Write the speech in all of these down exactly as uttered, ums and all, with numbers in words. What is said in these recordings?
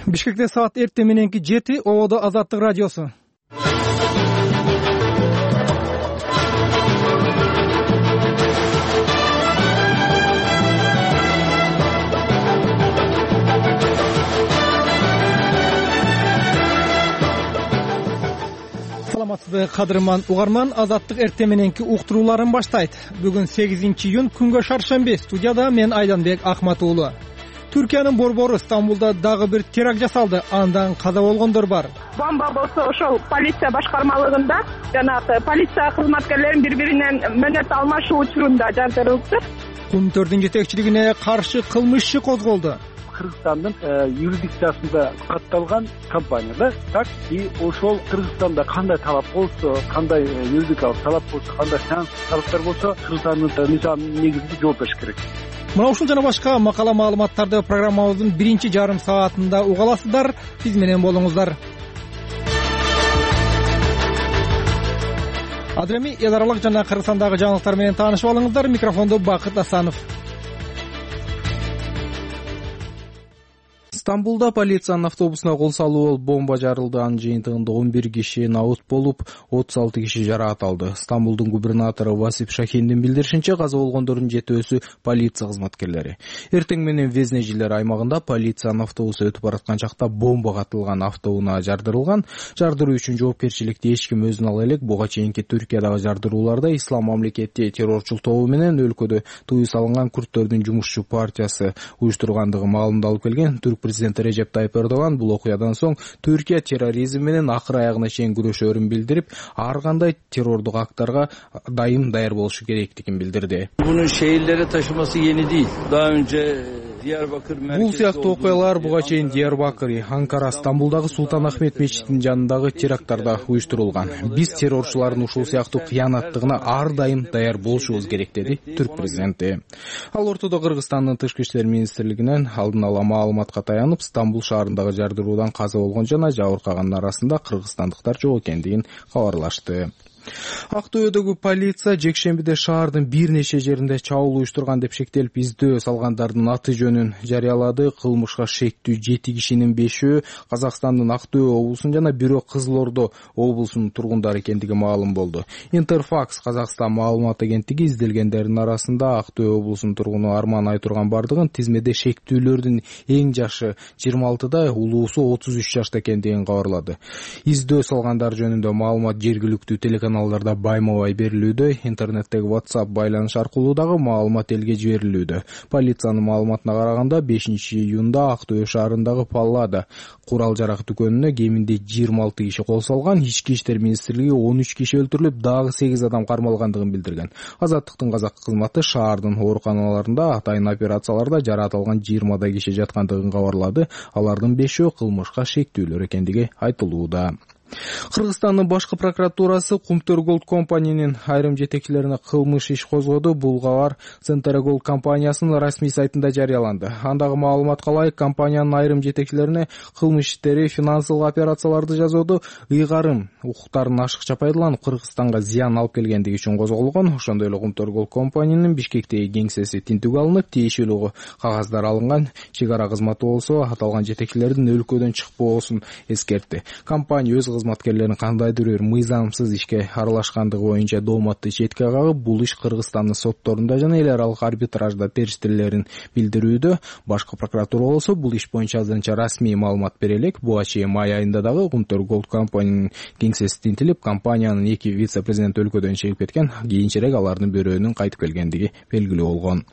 Бишкекте саат эртең мененки жети, Ободо Азаттык радиосу. Саламатсызбы, кадырман угарман, Азаттык эртең мененки уктурууларын баштайт. Бүгүн сегизинчи июнь, күнгө шаршемби. Студияда мен Айданбек Ахматуулу. Түркиянын борбору Стамбулда дагы бир теракт жасалды. Андан каза болгондор бар. Бомба болсо ошол полиция башкармалыгында жанагы полиция кызматкерлерин бири-биринен мөөнөт алмашуу учурунда жардырылды. Кумтөрдүн жетекчилигине каршы кылмыш иши козголду. Кыргызстандын юрисдикциясында катталган компания да, так и ошол Кыргызстанда кандай талап болсо, кандай юридикалык талап болсо, кандай талаптар болсо, Кыргызстандын мыйзамына негизинде жооп бериш керек. Мына ушул жана башка макала маалыматтарды программабыздын биринчи жарым саатында уга аласыздар. Биз менен болуңуздар. Азыр эми эл аралык жана Кыргызстандагы жаңылыктар менен таанышып алыңыздар. Микрофондо Бакыт Асанов. Стамбулда полициянын автобусуна кол салуу болуп бомба жарылды. Анын жыйынтыгында он бир киши набыт болуп, отуз алты киши жаракат алды. Стамбулдун губернатору Васип Шахиндин билдиришинче, каза болгондордун жетөөсү полиция кызматкерлери. Эртең менен Везнежилер аймагында полициянын автобусу өтүп бараткан чакта бомба катылган автоунаа жардырылган. Жардыруу үчүн жоопкерчиликти эч ким өзүнө ала элек. Буга чейинки Түркиядагы жардырууларда Ислам мамлекети террорчул тобу менен өлкөдө тыюу салынган күрттөрдүн жумушчу партиясы уюштургандыгы маалымдалып келген. Түрк президенти Режеп Тайып Эрдоган бул окуядан соң Түркия терроризм менен акыр аягына чейин күрөшөрүн билдирип, ар кандай террордук актарга дайым даяр болушу керектигин билдирди. Bunun şehirlere taşıması yeni değil. Daha önce Бул сыяктуу окуялар буга чейин Диярбакыр, Анкара, Стамбулдагы Султан Ахмет мечитинин жанындагы теракттарда уюштурулган. Биз террорчулардын ушул сыяктуу кыянаттыгына ар дайым даяр болушубуз керек, деди Түрк президенти. Ал ортодо Кыргызстандын тышкы иштер министрлигинен алдын ала маалыматка таянып, Стамбул шаарындагы жардыруудан каза болгон жана жабыркагандар арасында кыргызстандыктар жок экендигин кабарлашты. Актөбөдөгү полиция жекшембиде шаардын бир нече жеринде чабуул уюштурган деп шектелип, издөө салгандардын аты жөнүн жарыялады. Кылмышка шектүү жети кишинин бешөө Казакстандын Актөбө облусунун жана бирөө Кызыл Ордо облусунун тургундары экендиги маалым болду. Интерфакс Казакстан маалымат агенттиги изделгендердин арасында Актөбө облусунун тургуну Арман Айтурганбардыгын, тизмеде шектүүлөрдүн эң жашы жыйырма алтыда, улуусу отуз үч жашта экендигин кабарлады. Издөө салгандар жөнүндө маалымат жергиликтүү телеканал каналдарда байма-бай берилүүдө, интернеттеги WhatsApp байланыш аркылуу дагы маалымат элге жиберилүүдө. Полициянын маалыматына караганда бешинчи июнда Актөбө шаарындагы Паллада курал жарак дүкөнүнө кеминде жыйырма алты киши кол салган. Ички иштер министрлиги он үч киши өлтүрүлүп, дагы сегиз адам кармалгандыгын билдирген. Азаттыктын казак кызматы шаардын ооруканаларында атайын операцияларда жаракат алган жыйырмадай киши жаткандыгын кабарлады. Алардын бешөө кылмышка шектүүлөр экендиги айтылууда. Кыргызстандын башкы прокуратурасы Кумтөр Голд компаниянын айрым жетекчилерине кылмыш иш козгоду. Бул кабар Центр Голд компаниясынын расмий сайтында жарыяланды. Андагы маалыматка ылайык, компаниянын айрым жетекчилерине кылмыш иштери, финансылык операцияларды жасоодо ыйгарым укуктарын ашыкча пайдаланып Кыргызстанга зыян алып келгендиги үчүн козголгон. Ошондой эле Кумтөр Голд компаниянын Бишкектеги кеңсеси тинтүүгө алынып, тиешелүү кагаздар алынган. Чек ара кызматы болсо аталган жетекчилердин өлкөдөн чыкпоосун эскертти. Компания өз кызматкерлерин кандайдыр бир мыйзамсыз ишке аралашкандыгы боюнча дооматты четке кагып, бул иш Кыргызстандын сотторунда жана эл аралык арбитражда териштирилерин билдирүүдө. Башкы прокуратура болсо бул иш боюнча азырынча расмий маалымат бере элек. Буга чейин май айында дагы Кумтөр Голд компаниянын кеңсеси тинтилип, компаниянын эки вице-президенти өлкөдөн чыгып кеткен. Кийинчерээк алардын бирөөнүн кайтып келгендиги белгилүү болгон.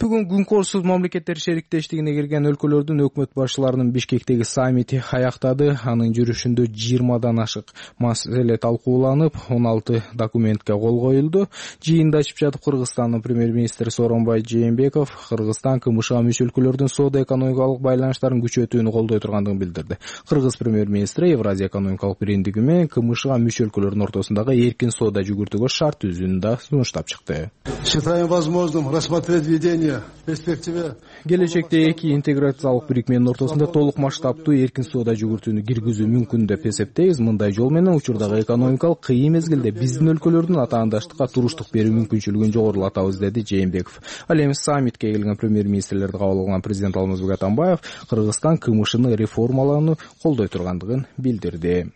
Бүгүн күнкорсуз мамлекеттер шериктештигине кирген өлкөлөрдүн өкмөт башчыларынын Бишкектеги саммити аяктады. Анын жүрүшүндө жыйырмадан ашык маселе талкууланып, он алты документке кол коюлду. Жыйында ачып жатып Кыргызстандын премьер-министри Сооронбай Жээнбеков Кыргызстан КМШга мүчө өлкөлөрдүн соода-экономикалык байланыштарын күчөтүүнү колдой тургандыгын билдирди. Кыргыз премьер-министри Евразия экономикалык биримдиги менен КМШга мүчө өлкөлөрдүн ортосундагы эркин соода жүгүртүүгө шарт түзүүнү да сунуштап чыкты. Считаем возможным рассмотреть введения в перспективе. Келечекте эки интеграциялык бирикменин ортосунда толук масштабтуу эркин соода жүгүртүүнү киргизүү мүмкүн деп эсептейбиз. Мындай жол менен учурдагы экономикалык кыйын мезгилде биздин өлкөлөрдүн атаандаштыкка туруштук берүү мүмкүнчүлүгүн жогорулатабыз, деди Жээнбеков. Ал эми саммитке келген премьер-министрлерди кабыл алган президент Алмазбек Атамбаев Кыргызстан кмшны реформалоону колдой тургандыгын билдирди.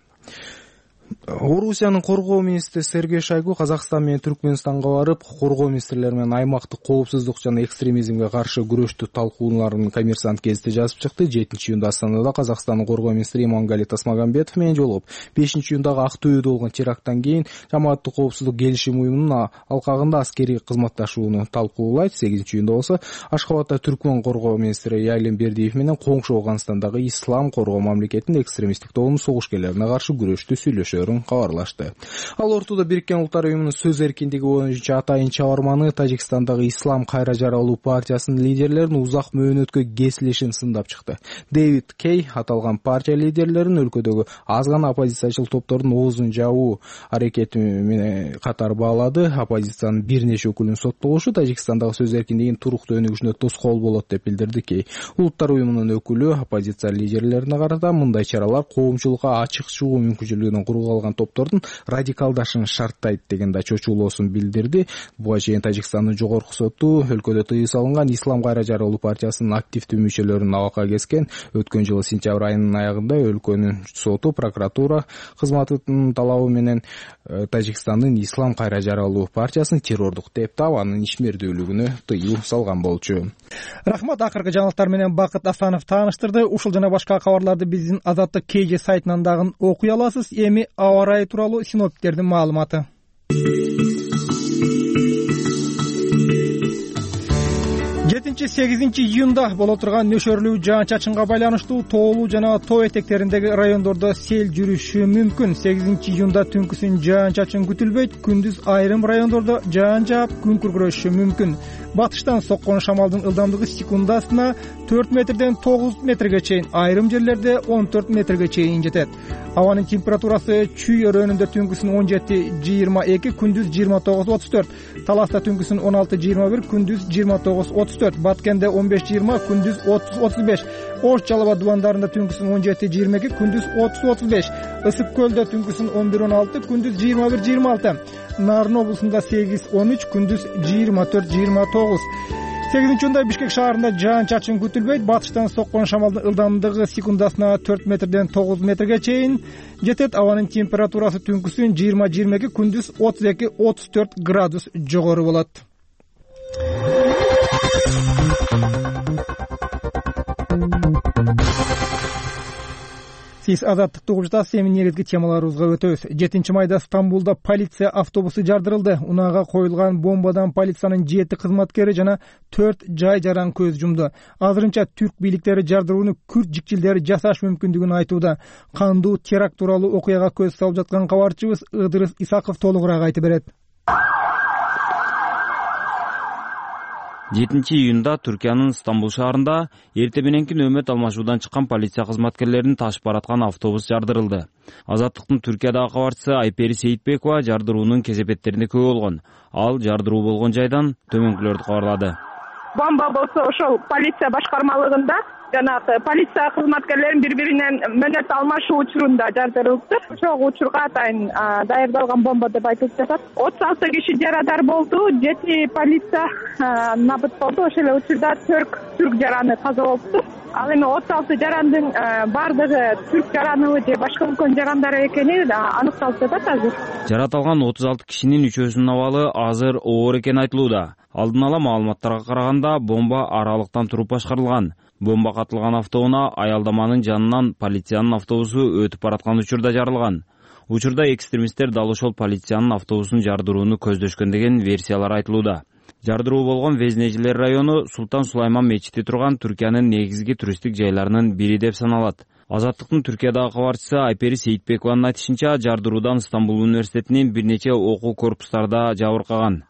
Орусиянын коргоо министри Сергей Шойгу Казакстан менен Түркмөнстанга барып, коргоо министрлери менен аймактык коопсуздук жана экстремизмге каршы күрөштү талкууларын Коммерсант гезити жазып чыкты. жетинчи июнда Астанада Казакстандын коргоо министри Имангали Тасмагамбетов менен жолугуп, бешинчи июндагы Актөбөдө болгон теракттан кийин жамааттык коопсуздук келишим уюмунун алкагында аскерий кызматташууну талкуулайт. сегизинчи июнда болсо Ашхабадда Түркмөн коргоо министри Ялим Бердиев менен коңшу Ауганстандагы Ислам коргоо мамлекетинин экстремисттик тобунун согушкерлерине каршы күрөштү сүйлөшөөрүн кабарлашты. Ал ортодо Бириккен Улуттар уюмунун сөз эркиндиги боюнча атайын чабарманы Тажикстандагы Ислам кайра жаралуу партиясынын лидерлеринин узак мөөнөткө кесилишин сындап чыкты. Дэвид Кей аталган партия лидерлерин өлкөдөгү аз гана оппозициячыл топтордун оозун жабуу аракети менен катар баалады. Оппозициянын бир нече өкүлүнүн соттолушу Тажикстандагы сөз эркиндигинин туруктуу өнүгүшүнө тоскоол болот деп билдирди Кей. Улуттар уюмунун өкүлү оппозиция лидерлерине карата мындай чаралар коомчулукка ачык чыгуу мүмкүнчүлүгүнөн кургалган топтордун радикалдашын шарттайт деген да чочулоосун билдирди. Буга чейин Тажикстандын жогорку соту өлкөдө тыюу салынган Ислам кайра жаралуу партиясынын активдүү мүчөлөрүн абакка кескен. Өткөн жылы сентябрь айынын аягында өлкөнүн соту прокуратура кызматынын талабы менен Тажикстандын Ислам кайра жаралуу партиясын террордук деп таап, анын ишмердүүлүгүнө тыюу салган болчу. Рахмат. Акыркы жаңылыктар менен Бакыт Асанов тааныштырды. Ушул жана башка кабарларды биздин Азаттык кей же сайтынан дагы окуй аласыз. Эми аба ырайы тууралуу синоптиктердин маалыматы. жетинчи сегизинчи июнда боло турган нөшөрлүү жаан-чачынга байланыштуу тоолуу жана тоо этектериндеги райондордо сел жүрүшү мүмкүн. сегизинчи июнда түнкүсүн жаан-чачын күтүлбөйт. Күндүз айрым райондордо жаан жаап, күн күркүрөшү мүмкүн. Батыштан соккон шамалдын ылдамдыгы секундасына төрт метрден тогуз метрге чейин, айрым жерлерде он төрт метрге чейин жетет. Абанын температурасы Чүй өрөөнүндө түнкүсүн он жети жыйырма эки, күндүз жыйырма тогуз отуз төрт, Таласта түнкүсүн он алты жыйырма бир, күндүз жыйырма тогуз отуз төрт, Баткенде он беш жыйырма, күндүз отуз отуз беш, Ош Жалаба дубандарында түнкүсүн он жети жыйырма эки, күндүз отуз отуз беш, Ысык көлдө түнкүсүн он бир он алты, күндүз жыйырма бир жыйырма алты, Нарын облусунда сегиз он үч, күндүз жыйырма төрт жыйырма тогуз. сегизинчи июнда Бишкек шаарында жаан-чачын күтүлбөйт. Батыштан соккон шамалдын ылдамдыгы секундасына төрт метрден тогуз метрге чейин жетет. Абанын температурасы түнкүсүн жыйырма жыйырма эки, күндүз отуз эки отуз төрт градус жогору болот. Сиз Азаттыкты угуп жатасыз. Эми негизги темаларыбызга өтөбүз. жетинчи майда Стамбулда полиция автобусу жардырылды. Унаага коюлган бомбадан полициянын жети кызматкери жана төрт жай жаран көз жумду. Азырынча түрк бийликтери жардырууну күрт жикчилдери жасаш мүмкүндүгүн айтууда. Кандуу теракт тууралуу окуяга көз салып жаткан кабарчыбыз Ыдырыс Исаков толугураак айтып берет. жетинчи июнда Түркиянын Стамбул шаарында эрте мененки нөөмөт алмашуудан чыккан полиция кызматкерлерин ташып бараткан автобус жардырылды. Азаттыктын Түркиядагы кабарчысы Айпери Сейитбекова жардыруунун кесепеттерине күбө болгон. Ал жардыруу болгон жайдан төмөнкүлөрдү кабарлады. Бомба болсо ошол полиция башкармалыгында жанагы полиция кызматкерлерин бири-биринен мөөнөт алмашуу учурунда жардырылды. Ошол учурга атайын даярдалган бомба деп айтылып жатат. отуз алты киши жарадар болду, жети полиция набыт болду. Ошол эле учурда төрт түрк жараны каза болуптур. Ал эми отуз алты жарандын бардыгы түрк жараныбы же башка өлкөнүн жарандары экени аныкталып жатат азыр. Жаратылган отуз алты кишинин үчөөсүнүн абалы азыр оор экени айтылууда. Алдын ала маалыматтарга караганда бомба аралыктан туруп башкарылган. Бомба катылган автоунаа аялдаманын жанынан полициянын автобусу өтүп бараткан учурда жарылган. Учурда экстремисттер дал ошол полициянын автобусун жардырууну көздөшкөн деген версиялар айтылууда. Жардыруу болгон Везнежилер району Султан Сулайман мечити турган Түркиянын негизги туристтик жайларынын бири деп саналат. Азаттыктын Түркиядагы кабарчысы Айпери Сейитбекованын айтышынча, жардыруудан Стамбул университетинин бир нече окуу корпустарда жабыркаган.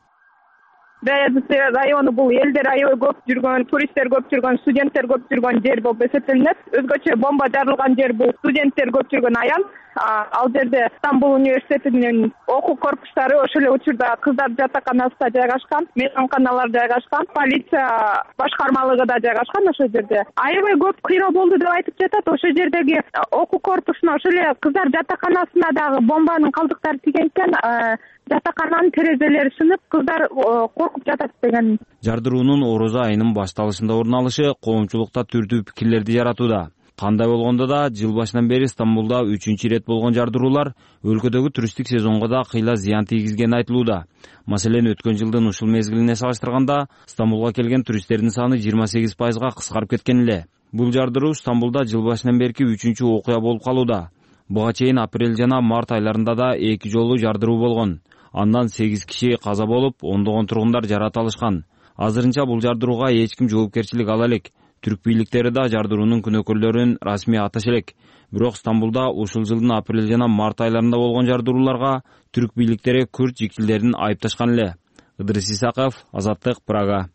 Даярдык району бул элдер аябай көп жүргөн, туристтер көп жүргөн, студенттер көп жүргөн жер болуп эсептелинет. Өзгөчө бомба жарылган жер бул студенттер көп жүргөн аян. Ал жерде Стамбул университетинин окуу корпустары, ошол эле учурда кыздар жатаканасы да жайгашкан, мейманканалар жайгашкан, полиция башкармалыгы да жайгашкан ошол жерде. Аябай көп кыйроо болду деп айтып жатат. Ошол жердеги окуу корпусуна, ошол эле кыздар жатаканасына дагы бомбанын калдыктары тийген экен. Жатакананын терезелери сынып, кыздар коркуп жатат деген. Жардыруунун орозо айынын башталышында орун алышы коомчулукта түрдүү пикирлерди жаратууда. Кандай болгондо да жыл башынан бери Стамбулда үчүнчү ирет болгон жардыруулар өлкөдөгү туристтик сезонго да кыйла зыян тийгизгени айтылууда. Маселен, өткөн жылдын ушул мезгилине салыштырганда Стамбулга келген туристтердин саны жыйырма сегиз пайызга кыскарып кеткен эле. Бул жардыруу Стамбулда жыл башынан берки үчүнчү окуя болуп калууда. Буга чейин апрель жана март айларында да эки жолу жардыруу болгон. Андан сегиз киши каза болуп, ондогон тургундар жарат алышкан. Азырынча бул жардырууга эч ким жоопкерчилик ала элек. Түрк бийликтери да жардыруунун күнөөкөрлөрүн расмий аташа элек. Бирок Стамбулда ушул жылдын апрель жана март айларында болгон жардырууларга түрк бийликтери күрд жикчилдерин айыпташкан эле. Ыдырыс Исаков, Азаттык, Прага.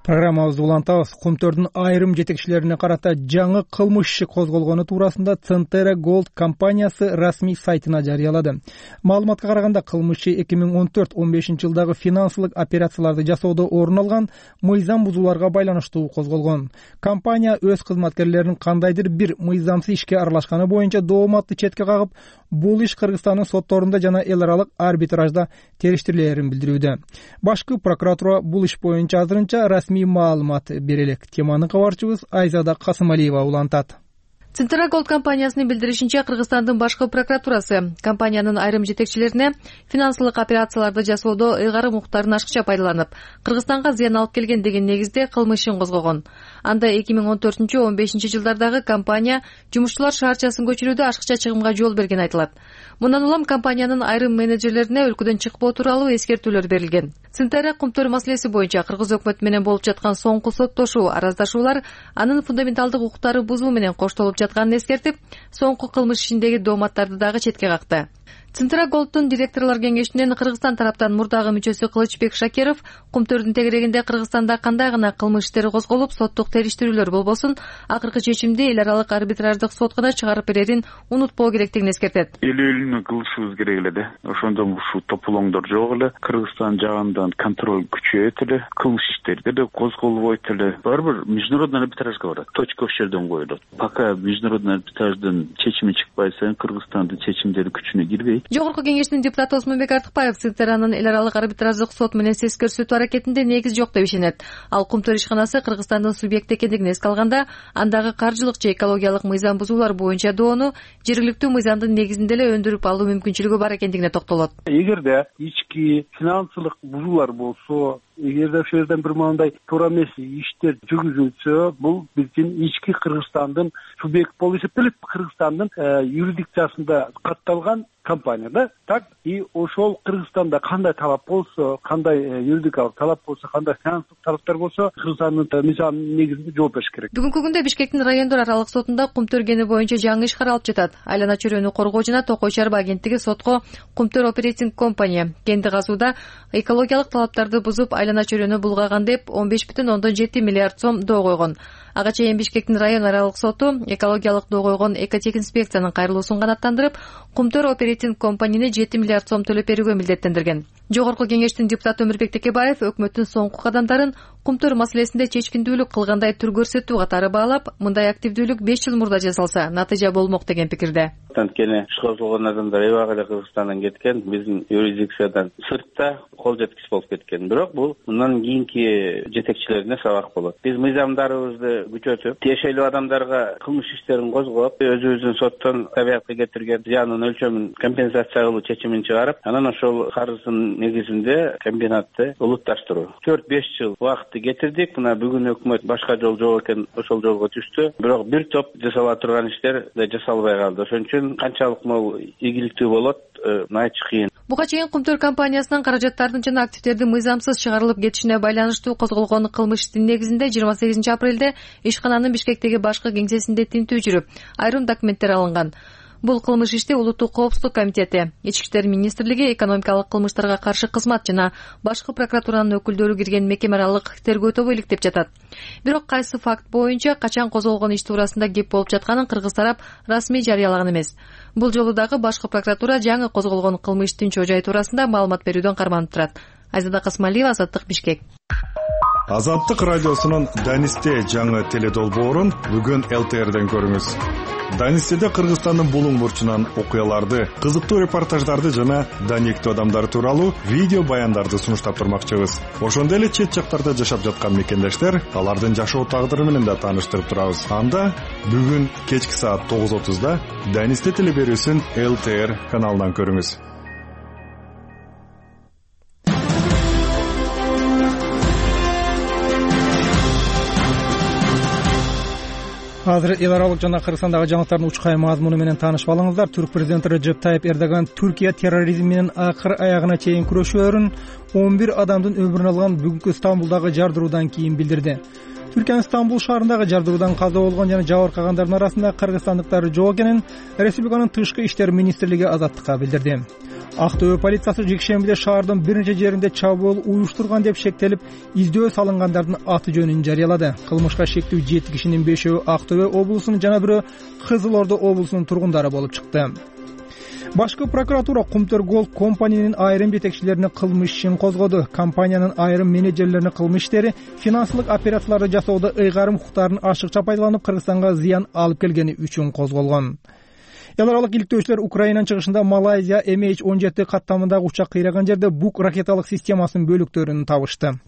Программабызды улантабыз. Кумтөрдүн айрым жетекчилерине карата жаңы кылмыш иши козголгону туурасында Центера Gold компаниясы расмий сайтына жарыялады. Маалыматка караганда, кылмыш иши эки миң он төрт он бешинчи жылдагы финансылык операцияларды жасоодо орун алган мыйзам бузууларга байланыштуу козголгон. Компания өз кызматкерлеринин кандайдыр бир мыйзамсыз ишке аралашканы боюнча дооматты четке кагып, бул иш Кыргызстандын сотторунда жана эл аралык арбитражда териштирилерин билдирүүдө. Башкы прокуратура бул иш боюнча азырынча расмий маалымат бере элек. Теманы кабарчыбыз Айзада Касымалиева улантат. Центера Gold компаниясынын билдиришинче, Кыргызстандын башкы прокуратурасы компаниянын айрым жетекчилерине финансылык операцияларды жасоодо ыйгарым укуктарын ашыкча пайдаланып, Кыргызстанга зыян алып келген деген негизде кылмыш ишин козгогон. Анда эки миң он төртүнчү он бешинчи жылдардагы компания жумушчулар шаарчасын көчүрүүдө ашыкча чыгымга жол берген айтылат. Мындан улам компаниянын айрым менеджерлерине өлкөдөн чыкпоо тууралуу эскертүүлөр берилген. Центера Кумтөр маселеси боюнча Кыргыз өкмөтү менен болуп жаткан соңку соттошуу, араздашуулар анын фундаменталдык укуктары бузуу менен коштолуп жатканын эскертип, соңку кылмыш ишиндеги дооматтарды дагы четке какты. Центера Gold'тун директорлор кеңешинин Кыргызстан тараптан мурдагы мүчөсү Кылычбек Шакиров Кумтөрдүн тегерегинде Кыргызстанда кандай гана кылмыш иштери козголуп, соттук териштирүүлөр болбосун, акыркы чечимди эл аралык арбитраждык сот гана чыгарып берерин унутпоо керектигин эскертет. Эл-элүүнү кылышыбыз керек эле да. Ошондон ушул тополоңдор жок эле. Кыргызстан жагынан контроль күчөйөт эле, кылмыш иштерди да козголбойт эле. Баары бир международный арбитражга барат. Точка ошол жерден коюлат. Пока международный арбитраждын чечими чыкпай сайын Кыргызстандын чечимдери күчүнө кирбейт. Жогорку кеңештин депутаты Осмонбек Артыкбаев Центеранын эл аралык арбитраждык сот менен сес көрсөтүү аракетинде негиз жок деп ишенет. Ал Кумтөр ишканасы Кыргызстандын субъекти экендигин эске алганда, андагы каржылык же экологиялык мыйзам бузуулар боюнча доону жергиликтүү мыйзамдын негизинде эле өндүрүп алуу мүмкүнчүлүгү бар экендигине токтолот. Эгерде ички финансылык бузуулар болсо, эгерде ошол жерден бир мындай туура эмес иштер жүргүзүлсө, бул биздин ички Кыргызстандын субъект болуп эсептелет. Кыргызстандын юрисдикциясында катталган компания да. Так и ошол Кыргызстанда кандай талап болсо, кандай юридикалык талап болсо, кандай финансылык талаптар болсо, Кыргызстандын мыйзам негизинде жооп бериш керек. Бүгүнкү күндө Бишкектин райондор аралык сотунда Кумтөр кени боюнча жаңы иш каралып жатат. Айлана чөйрөнү коргоо жана Токой чарба агенттиги сотко Кумтөр оперейтинг компания кенди казууда экологиялык талаптарды бузуп, айлана чөйрөнү булгаган деп он беш бүтүн ондон жети миллиард сом доо койгон. Ага чейин Бишкектин район аралык соту экологиялык доо койгон экотек инспекциянын кайрылуусун канааттандырып, Кумтөр оперейтинг компанияны жети миллиард сом төлөп берүүгө милдеттендирген. Жогорку кеңештин депутаты Өмүрбек Текебаев өкмөттүн соңку кадамдарын Кумтөр маселесинде чечкиндүүлүк кылгандай түр көрсөтүү катары баалап, мындай активдүүлүк беш жыл мурда жасалса, натыйжа болмок деген пикирде. Анткени иш козголгон адамдар эбак эле Кыргызстандан кеткен, биздин юрисдикциядан сыртта кол жеткис болуп кеткен. Бирок бул мындан кийинки жетекчилерине сабак болот. Биз мыйзамдарыбызды күчөтүп, тиешелүү адамдарга кылмыш иштерин козгоп, өзүбүздүн соттон табиятка кетирген зыяндын өлчөмүн компенсация кылуу чечимин чыгарып, анан ошол карыздын негизинде комбинатты улутташтыруу. төрт беш жыл убакытты кетирдик. Мына бүгүн өкмөт башка жол жок экен, ошол жолго түштү. Бирок бир топ жасала турган иштер да жасалбай калды. Ошон үчүн канчалык могу ийгиликтүү болот, айтыш кыйын. Буга чейин Кумтөр компаниясынын каражаттардын жана активдердин мыйзамсыз чыгарылып кетишине байланыштуу козголгон кылмыш иштин негизинде жыйырма сегизинчи апрелде ишкананын Бишкектеги башкы кеңсесинде тинтүү жүрүп, айрым документтер алынган. Бул кылмыш ишти Улуттук коопсуздук комитети, Ички иштер министрлиги, экономикалык кылмыштарга каршы кызмат жана башкы прокуратуранын өкүлдөрү кирген мекеме аралык тергөө тобу иликтеп жатат. Бирок кайсы факт боюнча качан козголгон иш туурасында кеп болуп жатканын кыргыз тарап расмий жарыялаган эмес. Бул жолу дагы башкы прокуратура жаңы козголгон кылмыштын чоо жайы туурасында маалымат берүүдөн карманып турат. Айзада Касмалиева, Азаттык, Бишкек. Азаттык радиосунун Данисте жаңы теледолбоорун бүгүн эл тэ эрден көрүңүз. Данистеде Кыргызстандын булуң бурчунан окуяларды, кызыктуу репортаждарды жана даниктүү адамдар тууралуу видео баяндарды сунуштап турмакчыбыз. Ошондой эле чет жактарда жашап жаткан мекендештер алардын жашоо тагдыры менен да тааныштырып турабыз. Анда бүгүн кечки саат тогуз отузда Данисте телеберүүсүн эл тэ эр каналынан көрүңүз. Азыр эл аралык жана Кыргызстандагы жаңылыктардын учкай мазмуну менен таанышып алыңыздар. Түрк президенти Реджеп Тайип Эрдоган Түркия терроризм менен акыр аягына чейин күрөшөөрүн он бир адамдын өмүрүн алган бүгүнкү Стамбулдагы жардыруудан кийин билдирди. Түркиянын Стамбул шаарындагы жардыруудан каза болгон жана жабыркагандардын арасында кыргызстандыктар жок экенин республиканын тышкы иштер министрлиги Азаттыкка билдирди. Актөбө полициясы жекшембиде шаардын бир нече жеринде чабуул уюштурган деп шектелип, издөө салынгандардын аты жөнүн жарыялады. Кылмышка шектүү жети кишинин бешөө Актөбө облусунун жана бирөө Кызыл Ордо облусунун тургундары болуп чыкты. Башкы прокуратура Кумтөр Голд компаниянын айрым жетекчилерине кылмыш ишин козгоду. Компаниянын айрым менеджерлерине кылмыш иштери финансылык операцияларды жасоодо ыйгарым укуктарын ашыкча пайдаланып Кыргызстанга зыян алып келгени үчүн козголгон. Эл аралык иликтөөчүлөр Украинанын чыгышында Малайзия эм эйч он жети каттамындагы учак кыйраган жерде Бук ракеталык системасынын бөлүктөрүн табышты.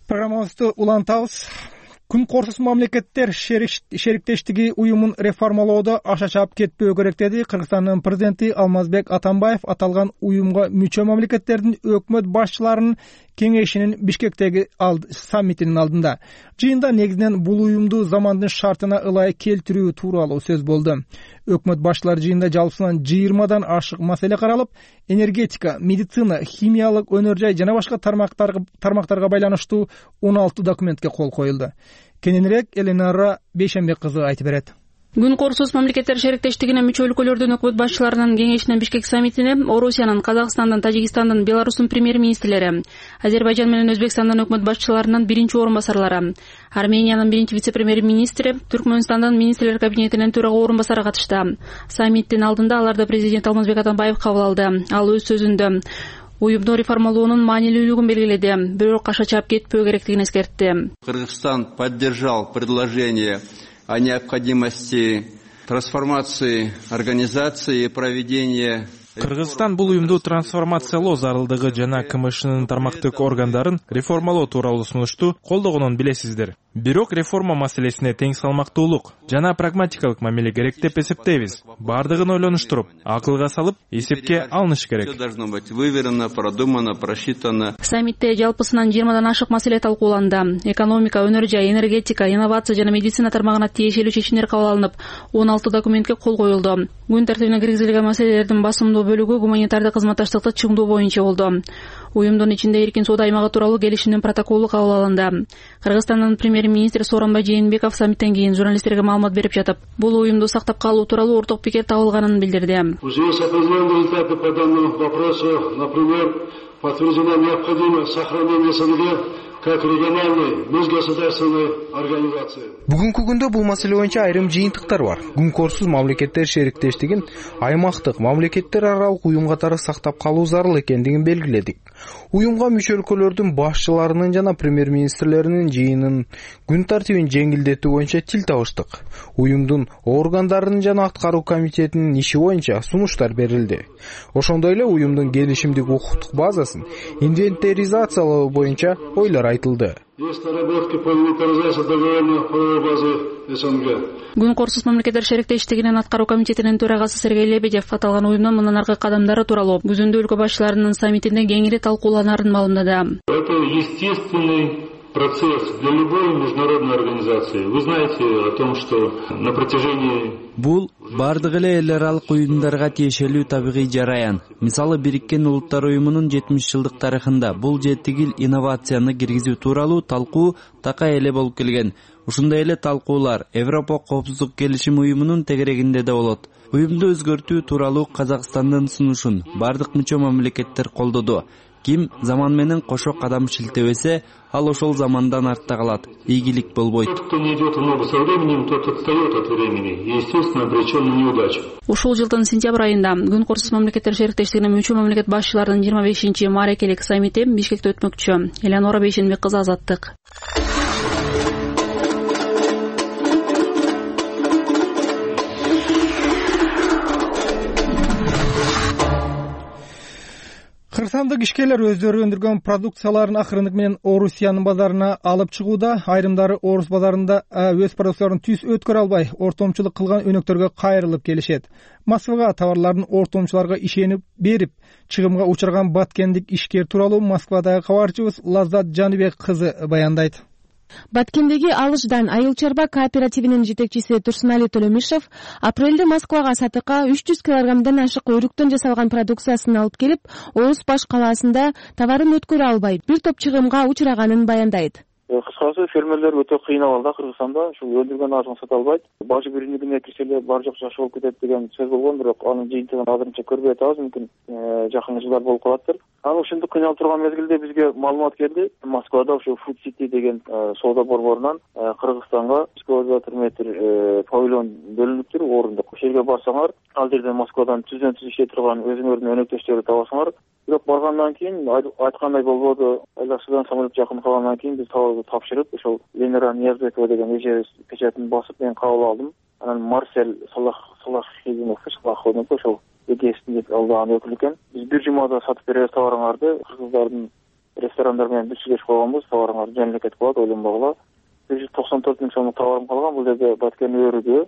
Программабызды улантабыз. Күн корсуз мамлекеттер шериктештиги уюмун реформалоодо аша чаап кетпөө керек деди Кыргызстандын президенти Алмазбек Атамбаев аталган уюмга мүчө мамлекеттердин өкмөт башчыларынын кеңешинин Бишкектеги саммитинин алдында. Жыйында негизинен бул уюмду замандын шартына ылайык келтирүү тууралуу сөз болду. Өкмөт башчылары жыйында жалпысынан жыйырмадан ашык маселе каралып, энергетика, медицина, химиялык өнөр жай жана башка тармактарга тармактарга байланыштуу он алты документке кол коюлду. Кененирээк Эленара Бейшембек кызы айтып берет. Күн корсуз мамлекеттер шериктештигине мүчө өлкөлөрдүн өкмөт башчыларынын кеңешинин Бишкек саммитине Орусиянын, Казакстандын, Тажикстандын, Беларустун премьер-министрлери, Азербайжан менен Өзбекстандын өкмөт башчыларынын биринчи орун басарлары, Армениянын биринчи вице-премьер-министри, Түркмөнстандын министрлер кабинетинин төрага орун басары катышты. Саммиттин алдында аларды президент Алмазбек Атамбаев кабыл алды. Ал өз сөзүндө уюмду реформалоонун маанилүүлүгүн белгиледи, бирок аша чаап кетпөө керектигин эскертти. Кыргызстан поддержал предложение о необходимости трансформации организации и проведения. Кыргызстан бул уюмду трансформациялоо зарылдыгы жана КМШнын тармактык органдарын реформалоо тууралуу сунушту колдогонун билесиздер. Бирок реформа маселесине тең салмактуулук жана прагматикалык мамиле керек деп эсептейбиз. Бардыгын ойлонуштуруп, акылга салып, эсепке алыныш керек. Всё должно быть выверено, продумано, просчитано. Саммитте жалпысынан жыйырмадан ашык маселе талкууланды. Экономика, өнөр жай, энергетика, инновация жана медицина тармагына тиешелүү чечимдер кабыл алынып, он алты документке кол коюлду. Күн тартибине киргизилген маселелердин басымдуу бөлүгү гуманитардык кызматташтыкты чыңдоо боюнча болду. Уюмдун ичинде эркин соода аймагы тууралуу келишимдин протоколу кабыл алынды. Кыргызстандын премьер-министри Сооронбай Жээнбеков саммиттен кийин журналисттерге маалымат берип жатып, бул уюмду сактап калуу тууралуу орток пикир табылганын билдирди. В связи с определенными результатами по данному вопросу, например, подтверждена необходимость сохранения СНГ как региональной межгосударственной организации. Бүгүнкү күндө бул маселе боюнча айрым жыйынтыктар бар. Күн корсуз мамлекеттер шериктештигин аймактык мамлекеттер аралык уюм катары сактап калуу зарыл экендигин белгиледик. Уюмга мүчө өлкөлөрдүн башчыларынын жана премьер-министрлеринин жыйынын күн тартибин жеңилдетүү боюнча тил табыштык. Уюмдун органдарынын жана аткаруу комитетинин иши боюнча сунуштар берилди. Ошондой эле уюмдун келишимдик укуктук базасын инвентаризациялоо боюнча ойлор айтылды. Есть наработки по инвентаризации договорной правовой базы СНГ. Күн корсуз мамлекеттер шериктештигинин аткаруу комитетинин төрагасы Сергей Лебедев аталган уюмдун мындан аркы кадамдары тууралуу күзүндө өлкө башчыларынын саммитинде кеңири талкууланарын маалымдады. Это естественный процесс для любой международной организации. Вы знаете о том, что на протяжении... Бул бардык эле эл аралык уюмдарга тиешелүү табигый жараян. Мисалы Бириккен Улуттар уюмунун жетимиш жылдык тарыхында бул жетигил инновацияны киргизүү тууралуу талкуу такай эле болуп келген. Ушундай эле талкуулар Европа коопсуздук келишим уюмунун тегерегинде да болот. Уюмду өзгөртүү тууралуу Казакстандын сунушун бардык мүчө мамлекеттер колдоду. Ким заман менен кошо кадам шилтебесе, ал ошол замандан артта калат. Ийгилик болбойт. Тот, кто не идет в ногу со временем, тот отстает от времени и, естественно, обречен на неудачу. Ушул жылдын сентябрь айында Күн Корсуз мамлекеттер шериктештигине мүчө мамлекет башчыларынын жыйырма бешинчи маарекелик саммити Бишкекте өтмөкчү. Элеонора Бейшенбек кызы, Азаттык. Кыргызстандык ишкерлер өздөрү өндүргөн продукцияларын акырындык менен Орусиянын базарына алып чыгууда. Айрымдары Орус базарында өз продукцияларын түз өткөрө албай, ортомчулук кылган өнөктөргө кайрылып келишет. Москвага товарларын ортомчуларга ишенип берип, чыгымга учурган баткендик ишкер тууралуу Москвадагы кабарчыбыз Лаззат Жаныбек кызы баяндайт. Баткендеги Алышдан айыл чарба кооперативинин жетекчиси Турсунали Төлөмишев апрелде Москвага сатыкка үч жүз килограммдан ашык өрүктөн жасалган продукциясын алып келип, Орус баш калаасында товарын өткөрө албай, бир топ чыгымга учураганын баяндайт. Кыскасы, фермерлер өтө кыйналат да Кыргызстанда, ушу өндүргөн азыгын сата албайт. Бажы биримдигине кирсе эле бар жок жакшы болуп кетет деген сөз болгон, бирок анын жыйынтыгын азырынча көрбөй атабыз, мүмкүн жакын жылдар болуп калаттыр. Анан ушинтип кыйналып турган мезгилде бизге маалымат келди. Москвада ушу Food City деген соода борборунан Кыргызстанга экскаватор метр павильон бөлүнүптүр, орундук. Ошол жерге барсаңар, ал жерде Москвадан түздөн түз иштей турган өзүңөрдүн өнөктөштөрү табасыңар. Бирок баргандан кийин айткандай болбоду. Айдасыдан самолет жакын калгандан кийин биз товарды тапшырып, ошол Ленара Ниязбекова деген эже печатын басып мен кабыл алдым. Анан Марсель Салах Салах Хизимов Салаховдун ошол эгесин деп алдаган өкүл экен. Биз бир жумада сатып беребиз товарыңарды. Кыргыздардын ресторандар менен бүт сүйлөшүп койгонбуз. Товарыңар жөнүнө кетип калат, ойлонбогула. бир жүз токсон төрт миң сомдук товарым калган. Бул жерде баткен өрүдө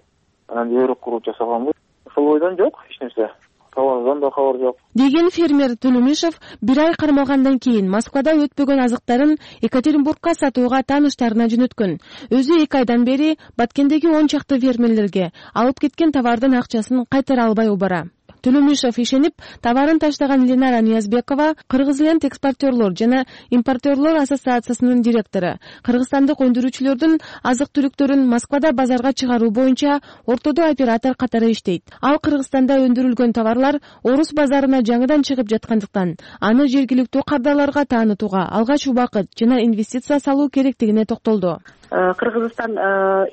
анан өрүк куруп жасаганбыз. Ошол бойдон жок эч нерсе. Товардан да кабар жок деген фермер Төлөмишев бир ай кармалгандан кийин Москвада өтпөгөн азыктарын Екатеринбургка сатууга тааныштарына жөнөткөн. Өзү эки айдан бери Баткендеги он чакты фермерлерге алып кеткен товардын акчасын кайтара албай убара. Төлөмишев ишенип, товарын таштаган Ленара Ниязбекова Кыргызленд экспортерлор жана импортерлор ассоциациясынын директору. Кыргызстандык өндүрүүчүлөрдүн азык-түлүктөрүн Москвада базарга чыгаруу боюнча ортодо оператор катары иштейт. Ал Кыргызстанда өндүрүлгөн товарлар Орус базарына жаңыдан чыгып жаткандыктан, аны жергиликтүү кардарларга таанытууга алгач убакыт жана инвестиция салуу керектигине токтолду. Кыргызстан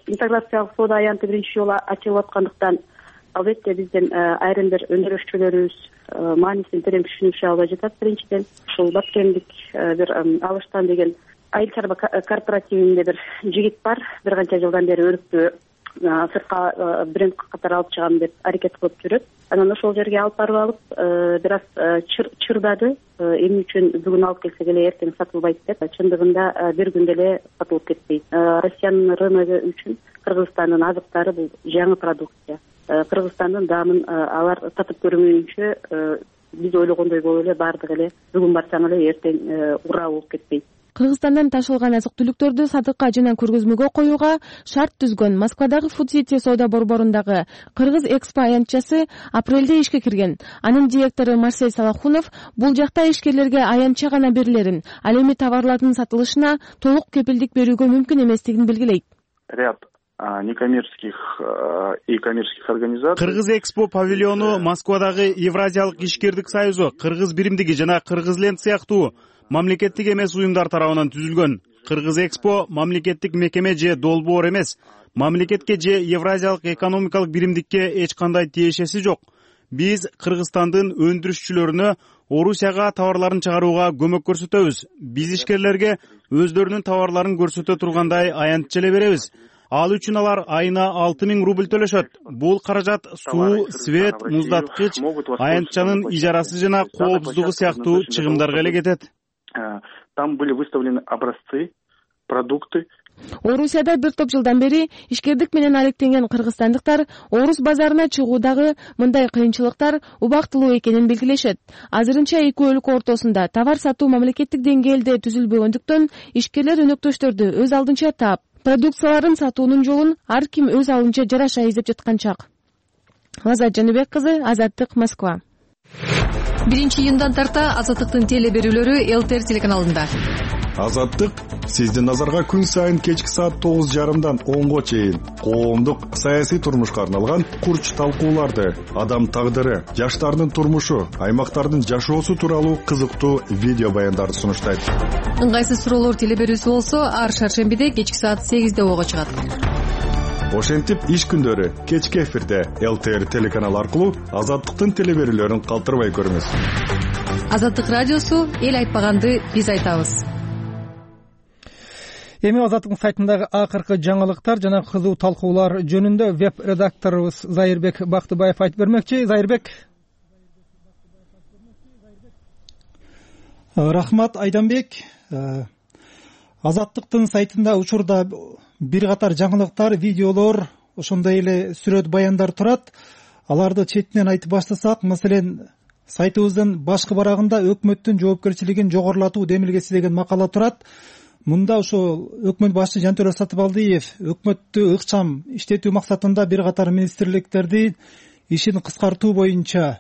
интеграциялык соода аянты биринчи жолу ачылып аткандыктан албетте биздин айрым бир өндүрүүчүлөрүбүз маанисин терең түшүнүшү албай жатат. Биринчиден ушул Баткендик бир Алыштан деген айыл чарба кооперативинде бир жигит бар. Бир канча жылдан бери өрүктү сыртка бренд катары алып чыгам деп аракет кылып жүрөт. Анан ошол жерге алып барып алып, бир аз чырдады. Эмне үчүн бүгүн алып келсек эле эртең сатылбайт деп. Чындыгында бир күндө эле сатылып кетпейт. Россиянын рыногу үчүн Кыргызстандын азыктары бул жаңы продукция. Кыргызстандын даамын алар татып көрмөйүнчө биз ойлогондой болуп эле бардык эле бүгүн барсаң эле эртең ура болуп кетпейт. Кыргызстандан ташылган азык-түлүктөрдү сатыкка жана көргөзмөгө коюуга шарт түзгөн Москвадагы Food City соода борборундагы Кыргыз Экспо аянтчасы апрелде ишке кирген. Анын директору Марсель Салахунов бул жакта ишкерлерге аянтча гана берилерин, ал эми товарлардын сатылышына толук кепилдик берүүгө мүмкүн эместигин белгилейт. Ряд некоммерческих и коммерческих организаций. Кыргыз Экспо павильону Москвадагы Евразиялык ишкердик союзу, Кыргыз биримдиги жана Кыргызленд сыяктуу мамлекеттик эмес уюмдар тарабынан түзүлгөн. Кыргыз Экспо мамлекеттик мекеме же долбоор эмес. Мамлекетке же Евразиялык экономикалык биримдикке эч кандай тиешеси жок. Биз Кыргызстандын өндүрүшчүлөрүнө Орусияга товарларын чыгарууга көмөк көрсөтөбүз. Биз ишкерлерге өздөрүнүн товарларын көрсөтө тургандай аянтча эле беребиз. Ал үчүн алар айына алты миң рубль төлөшөт. Бул каражат суу, свет, муздаткыч, аянтчанын ижарасы жана коопсуздугу сыяктуу чыгымдарга эле кетет. Там были выставлены образцы, продукты, Орусияда бир топ жылдан бери ишкердик менен алектенген кыргызстандыктар орус базарына чыгуудагы мындай кыйынчылыктар убактылуу экенин белгилешет. Азырынча эки өлкө ортосунда товар сатуу мамлекеттик деңгээлде түзүлбөгөндүктөн ишкерлер өнөктөштөрдү өз алдынча таап, продукцияларын сатуунун жолун ар ким өз алдынча жараша издеп жаткан чак. Азат Жаныбек кызы, Азаттык, Москва. биринчи июндан тарта Азаттыктын теле берүүлөрү ЛТР телеканалында. Азаттык сиздин назарга күн сайын кечки саат тогуз жарымдан онго чейин коомдук саясий турмушка арналган курч талкууларды, адам тагдыры, жаштардын турмушу, аймактардын жашоосу тууралуу кызыктуу видео баяндарды сунуштайт. Ыңгайсыз суроолор теле берүүсү болсо ар шаршембиде кечки саат сегизде ого чыгат. Ошентип иш күндөрү кечки эфирде ЛТР телеканалы аркылуу Азаттыктын теле берүүлөрүн калтырбай көрүңүз. Азаттык радиосу эл айтпаганды биз айтабыз. Эми Азаттыктын сайтындагы акыркы жаңылыктар жана кызуу талкуулар жөнүндө веб редакторубуз Зайырбек Бактыбаев айтып бермекчи. Зайырбек. Рахмат, Айданбек. Азаттыктын сайтында учурда бир катар жаңылыктар, видеолор, ошондой эле сүрөт баяндар турат. Аларды четинен айтып баштасак, маселен, сайтыбыздын башкы барагында өкмөттүн жоопкерчилигин жогорулатуу демилгеси деген макала турат. Мында ошо өкмөт башчы Жантөрө Сатыбалдиев өкмөттү ыкчам иштетүү максатында бир катар министрликтерди ишин кыскартуу боюнча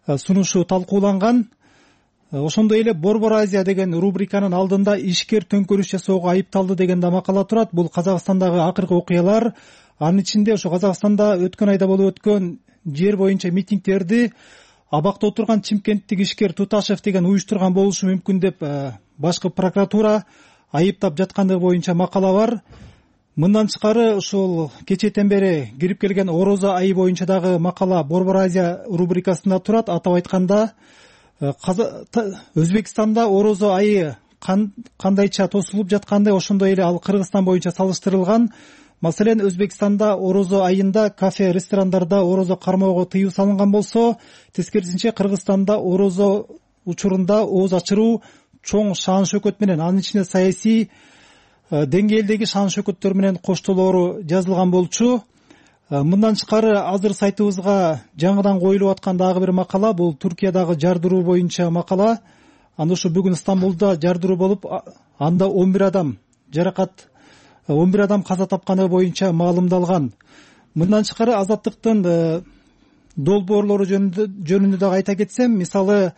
сунушу талкууланган. Ошондой эле Борбор Азия деген рубриканын алдында ишкер төңкөрүш жасоого айыпталды деген да макала турат. Бул Казакстандагы акыркы окуялар. Анын ичинде ошо Казакстанда өткөн айда болуп өткөн жер боюнча митингдерди абакта отурган чимкенттик ишкер Туташев деген уюштурган болушу мүмкүн деп башкы прокуратура айыптап жаткандыгы боюнча макала бар. Мындан тышкары ушул кечээден бери кирип келген Орозо айы боюнча дагы макала Борбор Азия рубрикасында турат. Атап айтканда, Өзбекстанда Орозо айы кандайча тосулуп жаткандай, ошондой эле ал Кыргызстан боюнча салыштырылган. Маселен, Өзбекстанда Орозо айында кафе, ресторандарда Орозо кармоого тыюу салынган болсо, тескерисинче Кыргызстанда Орозо учурунда ооз ачыруу чоң шаан шөкөт менен, анын ичинде саясий деңгээлдеги шаан шөкөттөр менен коштолоору жазылган болчу. Мындан тышкары азыр сайтыбызга жаңыдан коюлуп аткан дагы бир макала, бул Туркиядагы жардыруу боюнча макала. Анда ушу бүгүн Стамбулда жардыруу болуп, анда он бир адам жаракат, он бир адам каза тапканы боюнча маалымдалган. Мындан тышкары Азаттыктын долбоорлору жөнүндө дагы айта кетсем, мисалы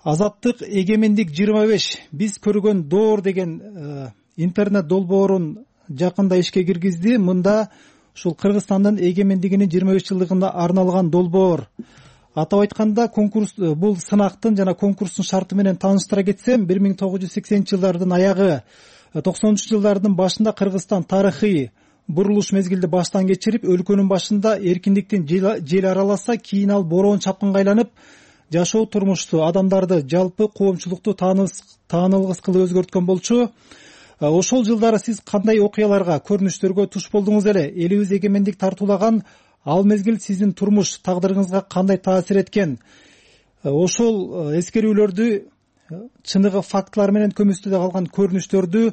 Азаттык эгемендик жыйырма беш биз көргөн доор деген интернет долбоорун жакында ишке киргизди. Мында ушул Кыргызстандын эгемендигинин жыйырма беш жылдыгына арналган долбоор. Атап айтканда, конкурс бул сынактын жана конкурстун шарты менен тааныштыра кетсем, бир миң тогуз жүз сексенинчи жылдардын аягы, токсонунчу жылдардын башында Кыргызстан тарыхый бурулуш мезгилди баштан кечирип, өлкөнүн башында эркиндиктин жели араласа, кийин ал бороон чапкынга айланып, жашоо турмушту, адамдарды, жалпы коомчулукту таанылгыс кылып өзгөрткөн болчу. Ошол жылдары сиз кандай окуяларга, көрүнүштөргө туш болдуңуз эле? Элибиз эгемендик тартуулаган ал мезгил сиздин турмуш тагдырыңызга кандай таасир эткен? Ошол эскерүүлөрдү, чыныгы фактылар менен көмүстүдө калган көрүнүштөрдү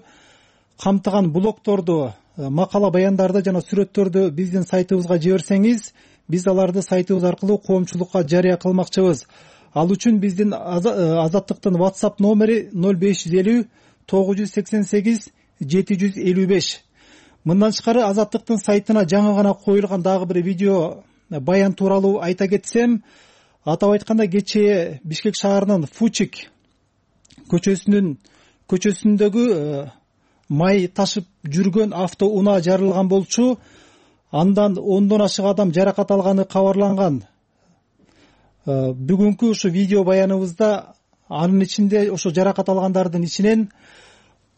камтыган блогторду, макала баяндарды жана сүрөттөрдү биздин сайтыбызга жиберсеңиз, биз аларды сайтыбыз аркылуу коомчулукка жарыя кылмакчыбыз. Ал үчүн биздин Азаттыктын WhatsApp номери ноль беш жүз элүү тогуз жүз сексен сегиз жети жүз элүү беш. Мындан тышкары Азаттыктын сайтына жаңы гана коюлган дагы бир видео баян тууралуу айта кетсем, атап айтканда кечээ Бишкек шаарынын Фучик көчөсүнүн көчөсүндөгү май ташып жүргөн автоунаа жарылган болчу. Андан ондон ашык адам жаракат алганы кабарланган. Бүгүнкү ушу видео баяныбызда анын ичинде ошо жаракат алгандардын ичинен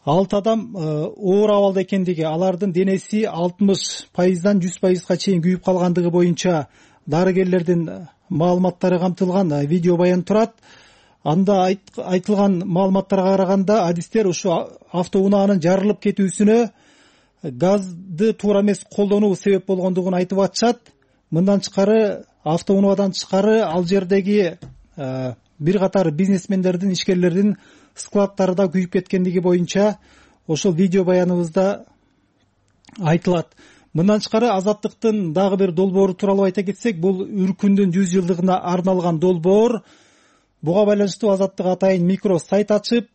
алты адам оор абалда экендиги, алардын денеси алтымыш пайыздан жүз пайызга чейин күйүп калгандыгы боюнча дарыгерлердин маалыматтары камтылган видео баян турат. Анда айтылган маалыматтарга караганда, адистер ушу автоунаанын жарылып кетүүсүнө газды туура эмес колдонуу себеп болгондугун айтып атышат. Мындан тышкары, автоунаадан тышкары ал жердеги бир катар бизнесмендердин, ишкерлердин складдары да күйүп кеткендиги боюнча ошол видео баяныбызда айтылат. Мындан тышкары Азаттыктын дагы бир долбоору тууралуу айта кетсек, бул Үркүндүн жүз жылдыгына арналган долбоор. Буга байланыштуу Азаттык атайын микро сайт ачып,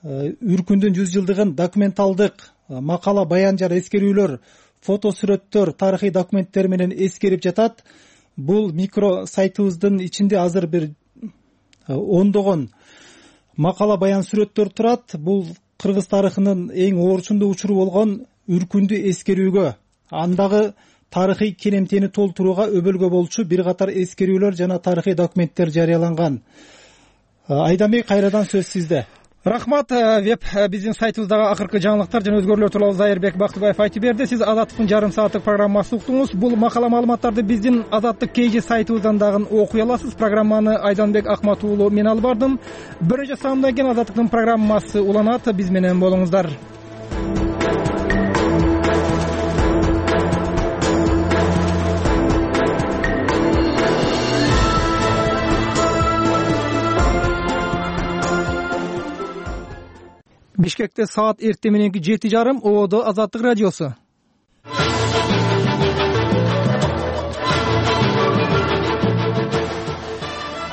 Үркүндүн жүз жылдыгын документалдык макала, баян жана эскерүүлөр, фото сүрөттөр, тарыхый документтер менен эскерип жатат. Бул микро сайтыбыздын ичинде азыр бир ондогон макала, баян, сүрөттөр турат. Бул кыргыз тарыхынын эң оорчундуу учуру болгон Үркүндү эскерүүгө, андагы тарыхый керемтени толтурууга өбөлгө болчу бир катар эскерүүлөр жана тарыхый документтер жарыяланган. Айданбек, кайрадан сөз сизде. Рахмат. Веб биздин сайтыбыздагы акыркы жаңылыктар жана өзгөрүүлөр тууралуу Зайырбек Бактыбаев айтып берди. Сиз Азаттыктын жарым сааттык программасын уктуңуз. Бул макала маалыматтарды биздин Азаттык кей жи сайтыбыздан дагы окуй аласыз. Программаны Айданбек Акмат уулу мен алып бардым. Бир нече саамдан кийин Азаттыктын программасы уланат. Биз менен болуңуздар. Бишкекте саат эртең мененки жети жарым, Ободо Азаттык радиосу.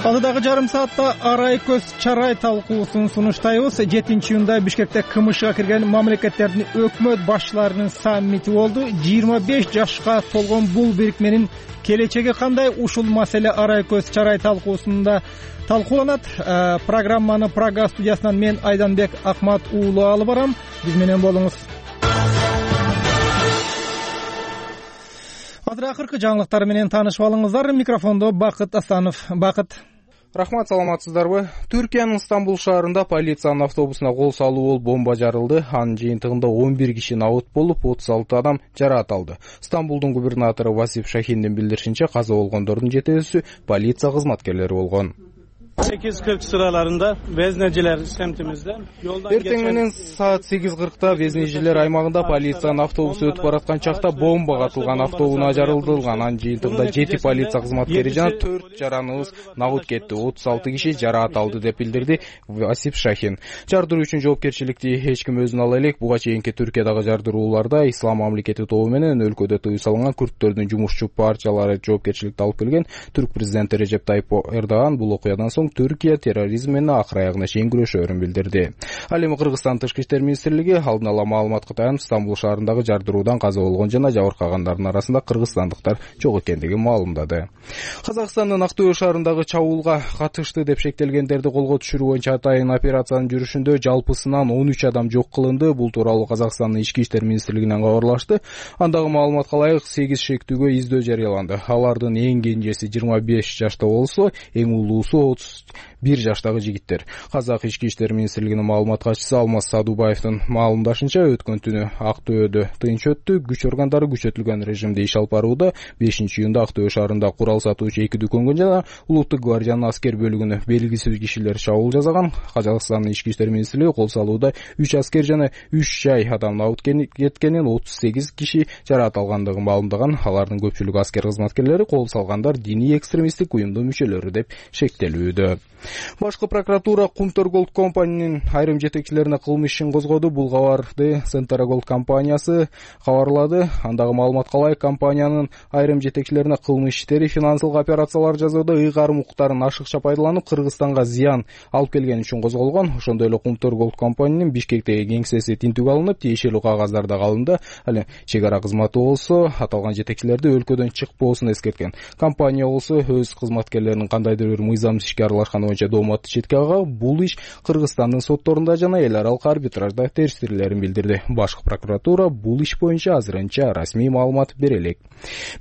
Алдыдагы жарым саатта арай көз чарай талкуусун сунуштайбыз. жетинчи июнда Бишкекте КМШга кирген мамлекеттердин өкмөт башчыларынын саммити болду. жыйырма беш жашка толгон бул бирикменин келечеги кандай? Ушул маселе арай көз чарай талкуусунда талкууланат. Программаны Прага студиясынан мен Айданбек Акмат уулу алып барам. Биз менен болуңуз. Азыр акыркы жаңылыктар менен таанышып алыңыздар. Микрофондо Бакыт Асанов. Бакыт. Рахмат, саламатсыздарбы? Түркиянын Стамбул шаарында полициянын автобусуна кол салуу болуп бомба жарылды. Анын жыйынтыгында он бир киши набыт болуп, отуз алты адам жараат алды. Стамбулдун губернатору Васип Шахиндин билдиришинче, каза болгондордун жетеүүсү полиция кызматкерлери болгон. sekiz kırk sıralarında Vezneciler semtimizde yoldan Эртең менен саат сегиз кыркта Везнежилер аймагында полициянын автобусу өтүп бараткан чакта бомба катылган, автоунаа жарылдырылган. Анын жыйынтыгында жети полиция кызматкери жана төрт жараныбыз набыт кетти. отуз алты киши жараат алды деп билдирди Васип Шахин. Жардыруу үчүн жоопкерчиликти эч ким өзүнө ала элек. Буга чейинки Түркиядагы жардырууларда Ислам мамлекети тобу менен өлкөдө тыюу салынган күрттөрдүн жумушчу партиялары жоопкерчиликти алып келген. Түрк президенти Режеп Тайип Эрдоган бул окуядан соң Түркия терроризм менен акыр аягына чейин күрөшөөрүн билдирди. Ал эми Кыргызстан Тышкы иштер министрлиги алдын ала маалыматка таянып Стамбул шаарындагы жардыруудан каза болгон жана жабыркагандардын арасында кыргызстандыктар жок экендигин маалымдады. Казакстандын Актөө шаарындагы чабуулга катышты деп шектелгендерди колго түшүрүү боюнча атайын операциянын жүрүшүндө жалпысынан он үч адам жок кылынды. Бул тууралуу Казакстандын ички иштер министрлигинен кабарлашты. Андагы маалыматка ылайык сегиз шектүүгө издөө жарыяланды. Алардын эң кенжеси жыйырма беш жашта болсо, эң улуусу отуз бир жаштагы жигиттер. Казак ички иштер министрлигинин маалымат катчысы Алмаз Садубаевдин маалымдашынча, өткөн түнү Актөөдө тынч өттү. Күч органдары күчөтүлгөн режимде иш алып барууда. бешинчи июнда Актөө шаарында курал сатуучу эки дүкөнгө жана Улуттук гвардиянын аскер бөлүгүнө белгисиз кишилер чабуул жасаган. Казакстандын ички иштер министрлиги кол салууда үч аскер жана үч жай адам набыт кеткенин, отуз сегиз киши жараат алгандыгын маалымдаган. Алардын көпчүлүгү аскер кызматкерлери, кол салгандар диний экстремисттик уюмдун мүчөлөрү деп шектелүүдө. Башкы прокуратура Кумтөр Голд компаниянын айрым жетекчилерине кылмыш ишин козгоду. Бул кабарды Центра Голд компаниясы кабарлады. Андагы маалыматка ылайык, компаниянын айрым жетекчилерине кылмыш иштери, финансылык операциялар жасоодо ыйгарым укуктарын ашыкча пайдаланып, Кыргызстанга зыян алып келгени үчүн козголгон. Ошондой эле Кумтөр Голд компаниянын Бишкектеги кеңсеси тинтүүгө алынып, тиешелүү кагаздар да алынды. Ал чек ара кызматы болсо аталган жетекчилерди өлкөдөн чыкпоосун эскерткен. Компания болсо өз кызматкерлеринин кандайдыр бир мыйзамсыз ишке аралашканы боюнча дооматты четке алган. Бул иш Кыргызстандын сотторунда жана эл аралык арбитражда териштирилерин билдирди. Башкы прокуратура бул иш боюнча азырынча расмий маалымат бере элек.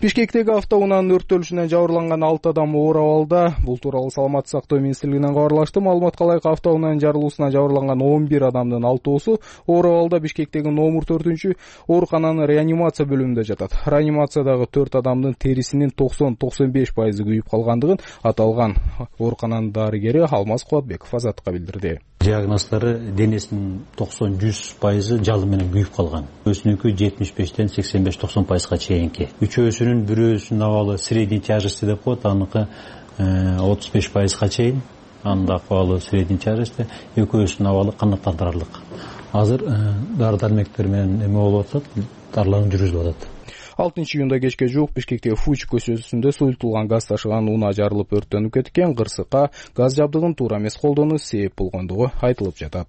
Бишкектеги автоунаанын өрттөлүшүнөн жабырланган алты адам оор абалда. Бул тууралуу Саламаттык сактоо министрлигинен кабарлашты. Маалыматка ылайык, автоунаанын жарылуусунан жабырланган он бир адамдын алтоосу оор абалда Бишкектеги номер төртүнчү оорукананын реанимация бөлүмүндө жатат. Реанимациядагы төрт адамдын терисинин токсон токсон беш пайызы күйүп калгандыгын аталган оорукананын дарыгери Алмаз Кубатбеков Азаттыкка билдирди. Диагноздары денесинин токсон жүз пайызы жалын менен күйүп калган. Өзүнүкү жетимиш бештен сексен беш токсон пайызга чейинки. Үчөөсүнүн бирөөсүнүн абалы средний тяжести деп коет, аныкы отуз беш пайызга чейин. Анын абалы средний тяжести, экөөсүнүн абалы канааттандырарлык. Азыр дары дармектер менен эме болуп атат, даарылануу жүргүзүлүп атат. алтынчы июнда кечке жуук Бишкектеги Фуч көчөсүндө суюлтулган газ ташыган унаа жарылып өрттөнүп кеткен. Кырсыкка газ жабдыгын туура эмес колдонуу себеп болгондугу айтылып жатат.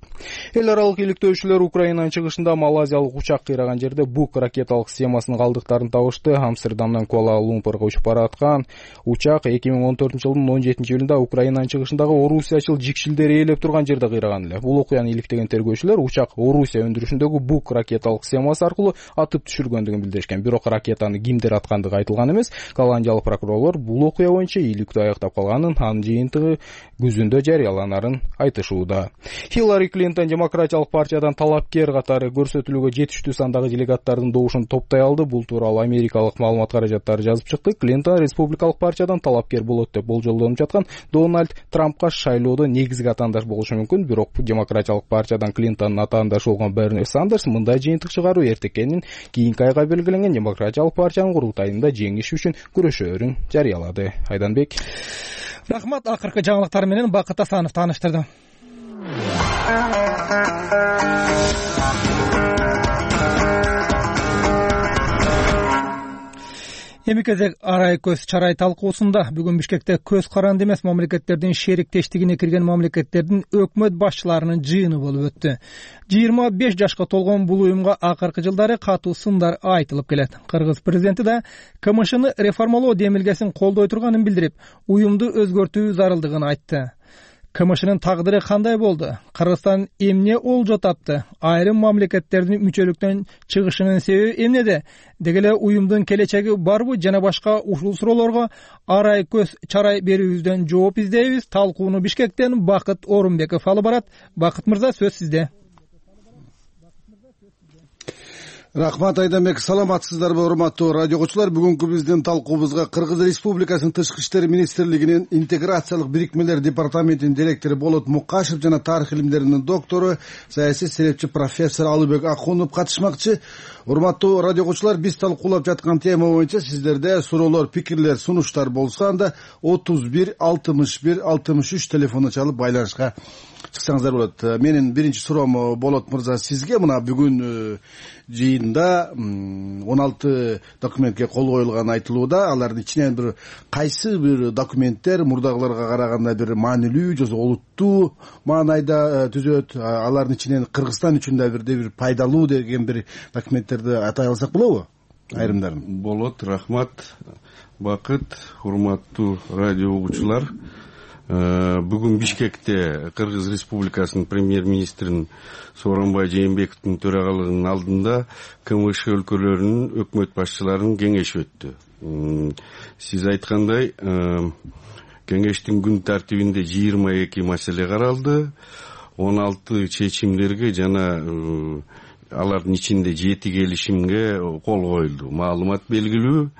Эл аралык иликтөөчүлөр Украинанын чыгышында малайзиялык учак кыйраган жерде Бук ракеталык системасынын калдыктарын табышты. Амстердамдан Куала-Лумпурга учуп бараткан учак эки миң он төртүнчү жылдын он жетинчи июлунда Украинанын чыгышындагы Орусиячыл жикшилдер ээлеп турган жерде кыйраган эле. Бул окуяны иликтеген тергөөчүлөр учак Орусия өндүрүшүндөгү Бук ракеталык системасы аркылуу атып түшүргөндүгүн билдиришкен. Бирок ракетаны кимдер аткандыгы айтылган эмес. Голландиялык прокурорлор бул окуя боюнча ийгиликтүү аяктап калганын, анын жыйынтыгы күзүндө жарыяланарын айтышууда. Хиллари Клинтон демократиялык партиядан талапкер катары көрсөтүлүүгө жетиштүү сандагы делегаттардын добушун топтой алды. Бул тууралуу америкалык маалымат каражаттары жазып чыкты. Клинтон республикалык партиядан талапкер болот деп болжолдонуп жаткан Дональд Трампка шайлоодо негизги атаандаш болушу мүмкүн. Бирок демократиялык партиядан Клинтондун атаандашы болгон Берни Сандерс мындай жыйынтык чыгаруу эртекенин кийинки айга белгиленген демократиялык партиянын курултайында жеңиш үчүн күрөшөөрүн жарыялады. Айданбек. Рахмат. Акыркы жаңылыктар менен Бакыт Асанов тааныштырды. Эми кезек арай көз чарай талкуусунда. Бүгүн Бишкекте көз каранды эмес мамлекеттердин шериктештигине кирген мамлекеттердин өкмөт башчыларынын жыйыны болуп өттү. жыйырма беш жашка толгон бул уюмга акыркы жылдары катуу сындар айтылып келет. Кыргыз президенти да КМШны реформалоо демилгесин колдой турганын билдирип, уюмду өзгөртүү зарылдыгын айтты. КМШнын тагдыры кандай болду? Кыргызстан эмне олжо тапты? Айрым мамлекеттердин мүчөлүктөн чыгышынын себеби эмнеде? Деги эле уюмдун келечеги барбы? Жана башка ушул суроолорго арай көз чарай берүүбүздөн жооп издейбиз. Талкууну Бишкектен Бакыт Орунбеков алып барат. Бакыт мырза, сөз сизде. Рахмат Айданбек, саламатсыздарбы урматтуу радио окуучулар? Бүгүнкү биздин талкуубузга Кыргыз Республикасынын Тышкы иштер министрлигинин интеграциялык бирикмелер департаментинин директору Болот Мукашев жана тарых илимдеринин доктору, саясий серепчи профессор Алыбек Акунов катышмакчы. Урматтуу радио окуучулар, биз талкуулап жаткан тема боюнча сиздерде суроолор, пикирлер, сунуштар болсо анда отуз бир алтымыш бир алтымыш үч телефону чалып байланышка чыксаңыздар болот. Менин биринчи суроом Болот мырза сизге. Мына бүгүн жыйында он алты документке кол коюлган айтылууда. Алардын ичинен бир кайсы бир документтер мурдагыларга караганда бир маанилүү же олуттуу маанайда түзөт? Алардын ичинен Кыргызстан үчүн да бирде бир пайдалуу деген бир документтерди атай алсак болобу? Айрымдарын. Болот, рахмат. Бакыт, урматтуу радио угуучулар. Бүгүн Бишкекте Кыргыз Республикасынын премьер-министринин Сооронбай Жээнбековдун төрагалыгынын алдында КМШ өлкөлөрүнүн өкмөт башчыларынын кеңеши өттү. Сиз айткандай, кеңештин күн тартибинде жыйырма эки маселе каралды, он алты чечимдерге жана алардын ичинде жети келишимге кол коюлду. Маалымат белгилүү.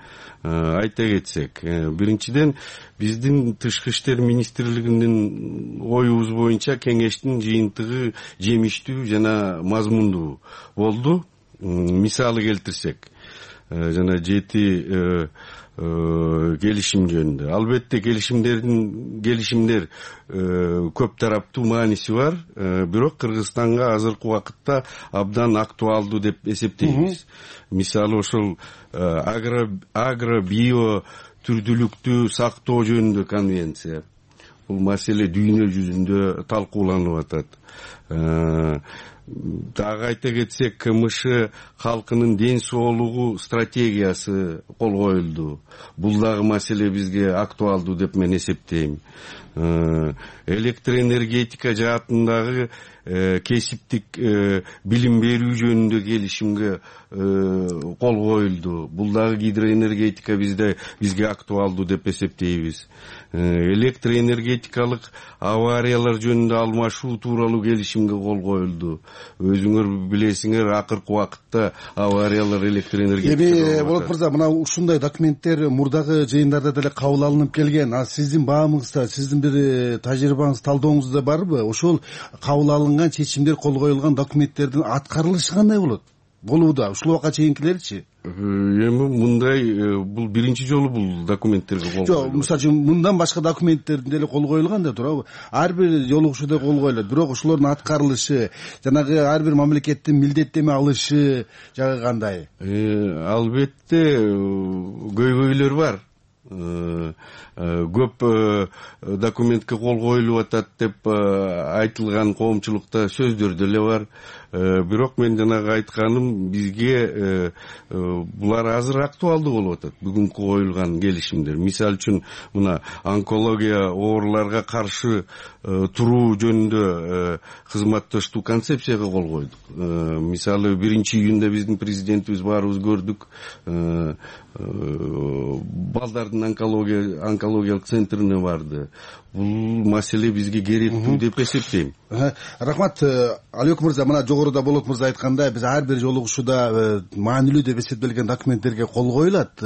Айта кетсек, биринчиден биздин Тышкы иштер министрлигинин оюбуз боюнча кеңештин жыйынтыгы жемиштүү жана мазмундуу болду. Мисалы келтирсек, жана жети келишим жөнүндө. Албетте келишимдердин келишимдер көп тараптуу мааниси бар, бирок Кыргызстанга азыркы убакытта абдан актуалдуу деп эсептейбиз. Мисалы ошол агро био түрдүүлүктү сактоо жөнүндө конвенция. Бул маселе дүйнө жүзүндө талкууланып атат. Дагы айта кетсек, КМШ халкынын ден соолугу стратегиясы кол коюлду. Бул дагы маселе бизге актуалдуу деп мен эсептейм. Электроэнергетика жаатындагы кесиптик билим берүү жөнүндө келишимге кол коюлду. Бул дагы гидроэнергетика бизде бизге актуалдуу деп эсептейбиз. Электроэнергетикалык авариялар жөнүндө алмашуу тууралуу келишимге кол коюлду. Өзүңөр билесиңер, акыркы убакытта авариялар электроэнергетика. Эми Болот мырза, мына ушундай документтер мурдагы жыйындарда деле кабыл алынып келген. А сиздин баамыңызда, сиздин бир тажрыйбаңыз, талдооңузда барбы? Ошол кабыл алынган чечимдер, кол коюлган документтердин аткарылышы кандай болот? Болууда. Ушул убакка чейинкилерчи? эми мындай бул биринчи жолу бул документтерге кол жок, мисалы үчүн мындан башка документтердин деле кол коюлган да туурабы? Ар бир жолугушууда кол коюлат, бирок ошолордун аткарылышы, жанагы ар бир мамлекеттин милдеттеме алышы жагы кандай? Албетте көйгөйлөр бар. Көп документке кол коюлуп атат деп айтылган коомчулукта сөздөр деле бар. Бирок мен жанагы айтканым, бизге булар азыр актуалдуу болуп атат, бүгүнкү коюлган келишимдер. Мисалы үчүн мына онкология ооруларга каршы туруу жөнүндө кызматташтуу концепцияга кол койдук. Мисалы биринчи июнда биздин президентибиз баарыбыз көрдүк, балдардын онкология онкологиялык центрине барды. Бул маселе бизге керектүү деп эсептейм. Рахмат, Алиёк мырза, мына жогоруда Болот мырза айткандай, биз ар бир жолугушууда маанилүү деп эсептелген документтерге кол коюлат.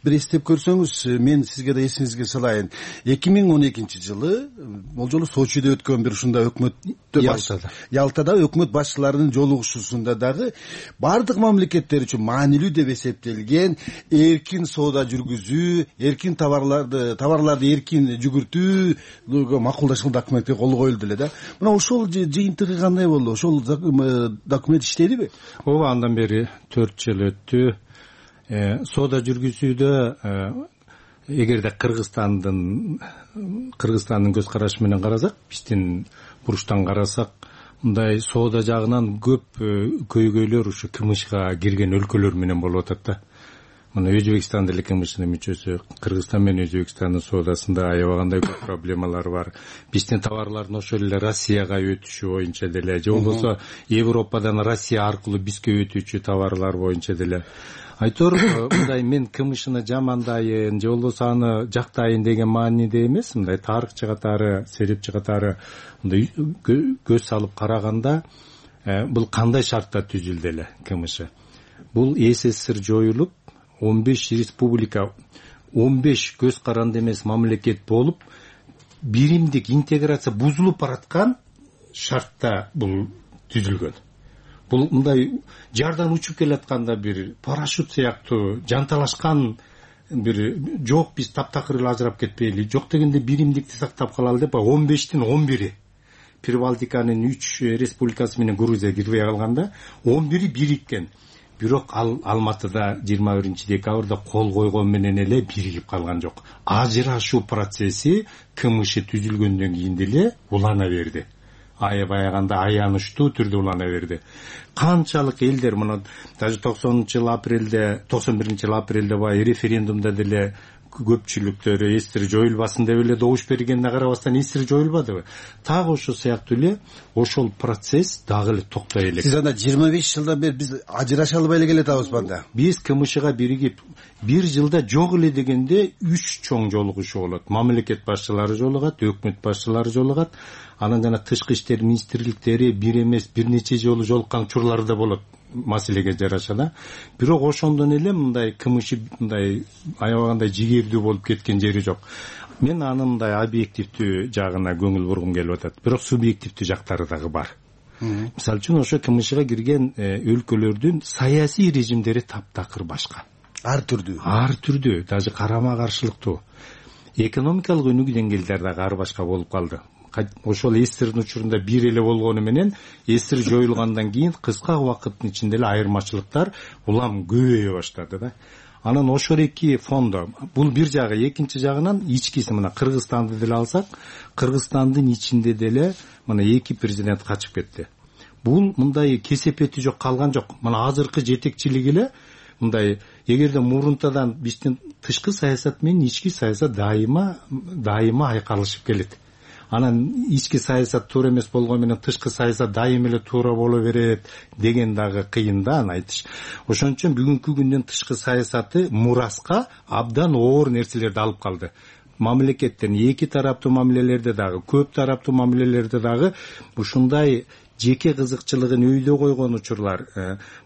Бир эстеп көрсөңүз, мен сизге да эсиңизге салайын. эки миң он экинчи жылы бул жолу Сочиде өткөн бир ушундай өкмөттө Ялтада өкмөт башчыларынын жолугушуусунда дагы бардык мамлекеттер үчүн маанилүү деп эсептелген эркин соода жүргүзүү, эркин товарларды товарларды эркин жүгүртүү макулдашкан документке кол коюлду эле да. Мына ошол жыйынтыгы кандай болду? Ошол документ иштедиби? Ооба, андан бери төрт жыл өттү. Соода жүргүзүүдө эгерде Кыргызстандын Кыргызстандын көз карашы менен карасак, биздин бурчтан карасак, мындай соода жагынан көп көйгөйлөр ушу КМШга кирген өлкөлөр менен болуп атат да. Мына Өзбекстан деле КМШнын мүчөсү, Кыргызстан менен Өзбекстандын соодасында аябагандай көп проблемалар бар. Биздин товарлардын ошол эле Россияга өтүшү боюнча деле, же болбосо Европадан Россия аркылуу бизге өтүүчү товарлар боюнча деле. Айтор, мындай мен КМШны жамандайын, же болбосо аны жактайын деген мааниде эмес, мындай тарыхчы катары, серепчи катары мындай көз салып караганда, бул кандай шартта түзүлдү эле КМШ? Бул СССР жоюлуп, он беш республика, он беш көз каранды эмес мамлекет болуп, биримдик интеграция бузулуп бараткан шартта бул түзүлгөн. Бул мындай жардан учуп келатканда бир парашют сыяктуу жанталашкан бир жок, биз таптакыр эле ажырап кетпейли, жок дегенде биримдикти сактап калалы деп он бештин он бири Прибалтиканын үч республикасы менен Грузия кирбей калганда он бири бириккен. Бирок ал Алматыда жыйырма биринчи декабрда кол койгон менен эле биригип калган жок. Ажырашуу процесси КМШ түзүлгөндөн кийин деле улана берди. Аябаганда аянычтуу түрдө улана берди. Канчалык элдер мына даже токсонунчу жыл апрелде, токсон биринчи жыл апрелде бай референдумда деле көпчүлүктөр СССР жоюлбасын деп эле добуш бергенине карабастан СССР жоюлбадыбы? Так ошол сыяктуу эле ошол процесс дагы эле токтой элек. Сиз анда жыйырма беш жылдан бери биз ажыраша албай эле келатабыз банда. Биз КМШга биригип бир жылда жок эле дегенде үч чоң жолугушуу болот. Мамлекет башчылары жолугат, өкмөт башчылары жолугат. Анан жана тышкы иштер министрликтери бир эмес бир нече жолу жолуккан учурлар да болот маселеге жараша да. Бирок ошондон эле мындай КМШ мындай аябагандай жигердүү болуп кеткен жери жок. Мен анын мындай объективдүү жагына көңүл бургум келип атат. Бирок субъективдүү жактары дагы бар. Мисалы үчүн ошо КМШга кирген өлкөлөрдүн саясий режимдери таптакыр башка. Ар түрдүү. Ар түрдүү, даже карама каршылыктуу. Экономикалык өнүгүү деңгээлдери дагы ар башка болуп калды. Ошол СССРдин учурунда бир эле болгону менен СССР жоюлгандан кийин кыска убакыттын ичинде эле айырмачылыктар улам көбөйө баштады да. Анан ошол эки фондо, бул бир жагы, экинчи жагынан ичкиси мына Кыргызстанды деле алсак, Кыргызстандын ичинде деле мына эки президент качып кетти. Бул мындай кесепети жок калган жок. Мына азыркы жетекчилик эле мындай, эгерде мурунтадан биздин тышкы саясат менен ички саясат дайыма дайыма айкалышып келет. Анан ички саясат туура эмес болгону менен тышкы саясат дайым эле туура боло берет деген дагы кыйын да аны айтыш. Ошон үчүн бүгүнкү күндүн тышкы саясаты мураска абдан оор нерселерди алып калды. Мамлекеттен эки тараптуу мамилелерде дагы, көп тараптуу мамилелерде дагы ушундай жеке кызыкчылыгын өйдө койгон учурлар,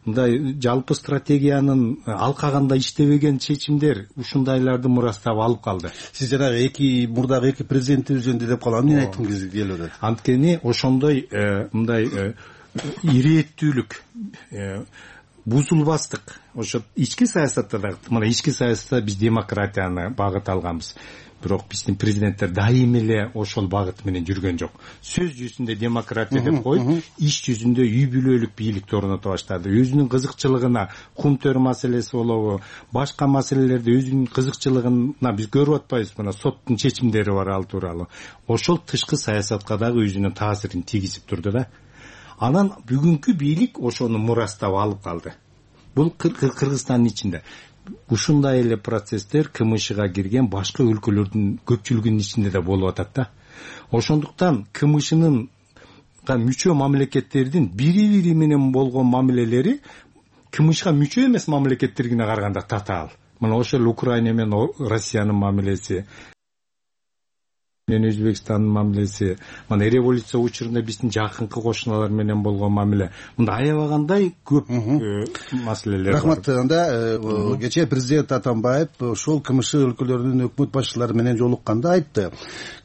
мындай жалпы стратегиянын алкаганда иштебеген чечимдер ушундайларды мурастап алып калды. Сиз жанагы эки мурдагы эки президенттер жөнүндө деп калган, эмне айткыңыз келип атат? Анткени ошондой мындай ирээттүүлүк бузулбастык. Ошо ички саясатта да, мына ички саясатта биз демократияны багыт алганбыз. Бирок биздин президенттер дайым эле ошол багыт менен жүргөн жок. Сөз жүзүндө демократия деп коюп, иш жүзүндө үй бүлөлүк бийликти орното баштады. Өзүнүн кызыкчылыгына, кум төр маселеси болобу, башка маселелерде өзүнүн кызыкчылыгына биз көрүп атпайбызбы, мына соттун чечимдери бар ал тууралуу. Ошол тышкы саясатка дагы өзүнүн таасирин тийгизип турду да. Анан бүгүнкү бийлик ошону мурастап алып калды. Бул Кыргызстандын ичинде. Ушундай эле процесстер КМШга кирген башка өлкөлөрдүн көпчүлүгүнүн ичинде да болуп атат да. Ошондуктан КМШнын мүчө мамлекеттердин бири-бири менен болгон мамилелери КМШга мүчө эмес мамлекеттерге караганда татаал. Мына ошол Украина менен Россиянын мамилеси, мен Өзбекстандын мамилеси, мына революция учурунда биздин жакынкы кошуналар менен болгон мамиле. Мында аябагандай көп маселелер бар. Рахмат. Анда кечээ президент Атамбаев ошол КМШ өлкөлөрүнүн өкмөт башчылары менен жолукканда айтты.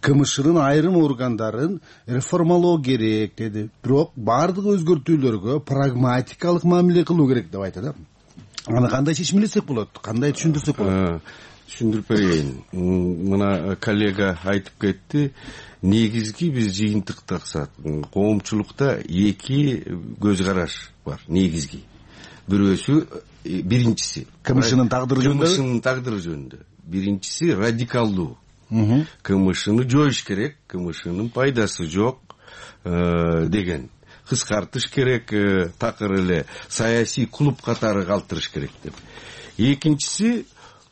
КМШнын айрым органдарын реформалоо керек деди. Бирок бардык өзгөртүүлөргө прагматикалык мамиле кылуу керек деп айтты да. Аны кандай чечимлесек болот? Кандай түшүндүрсөк болот? Түшүндүрүп берейин. Мына коллега айтып кетти. Негизги биз жыйынтыктасак, коомчулукта эки көз караш бар, негизги. Бирөөсү, биринчиси КМШнын тагдыры жөнүндө. КМШнын тагдыры жөнүндө. Биринчиси радикалдуу. КМШны жоюш керек, КМШнын пайдасы жок деген. Кыскартыш керек, такыр эле саясий клуб катары калтырыш керек деп. Экинчиси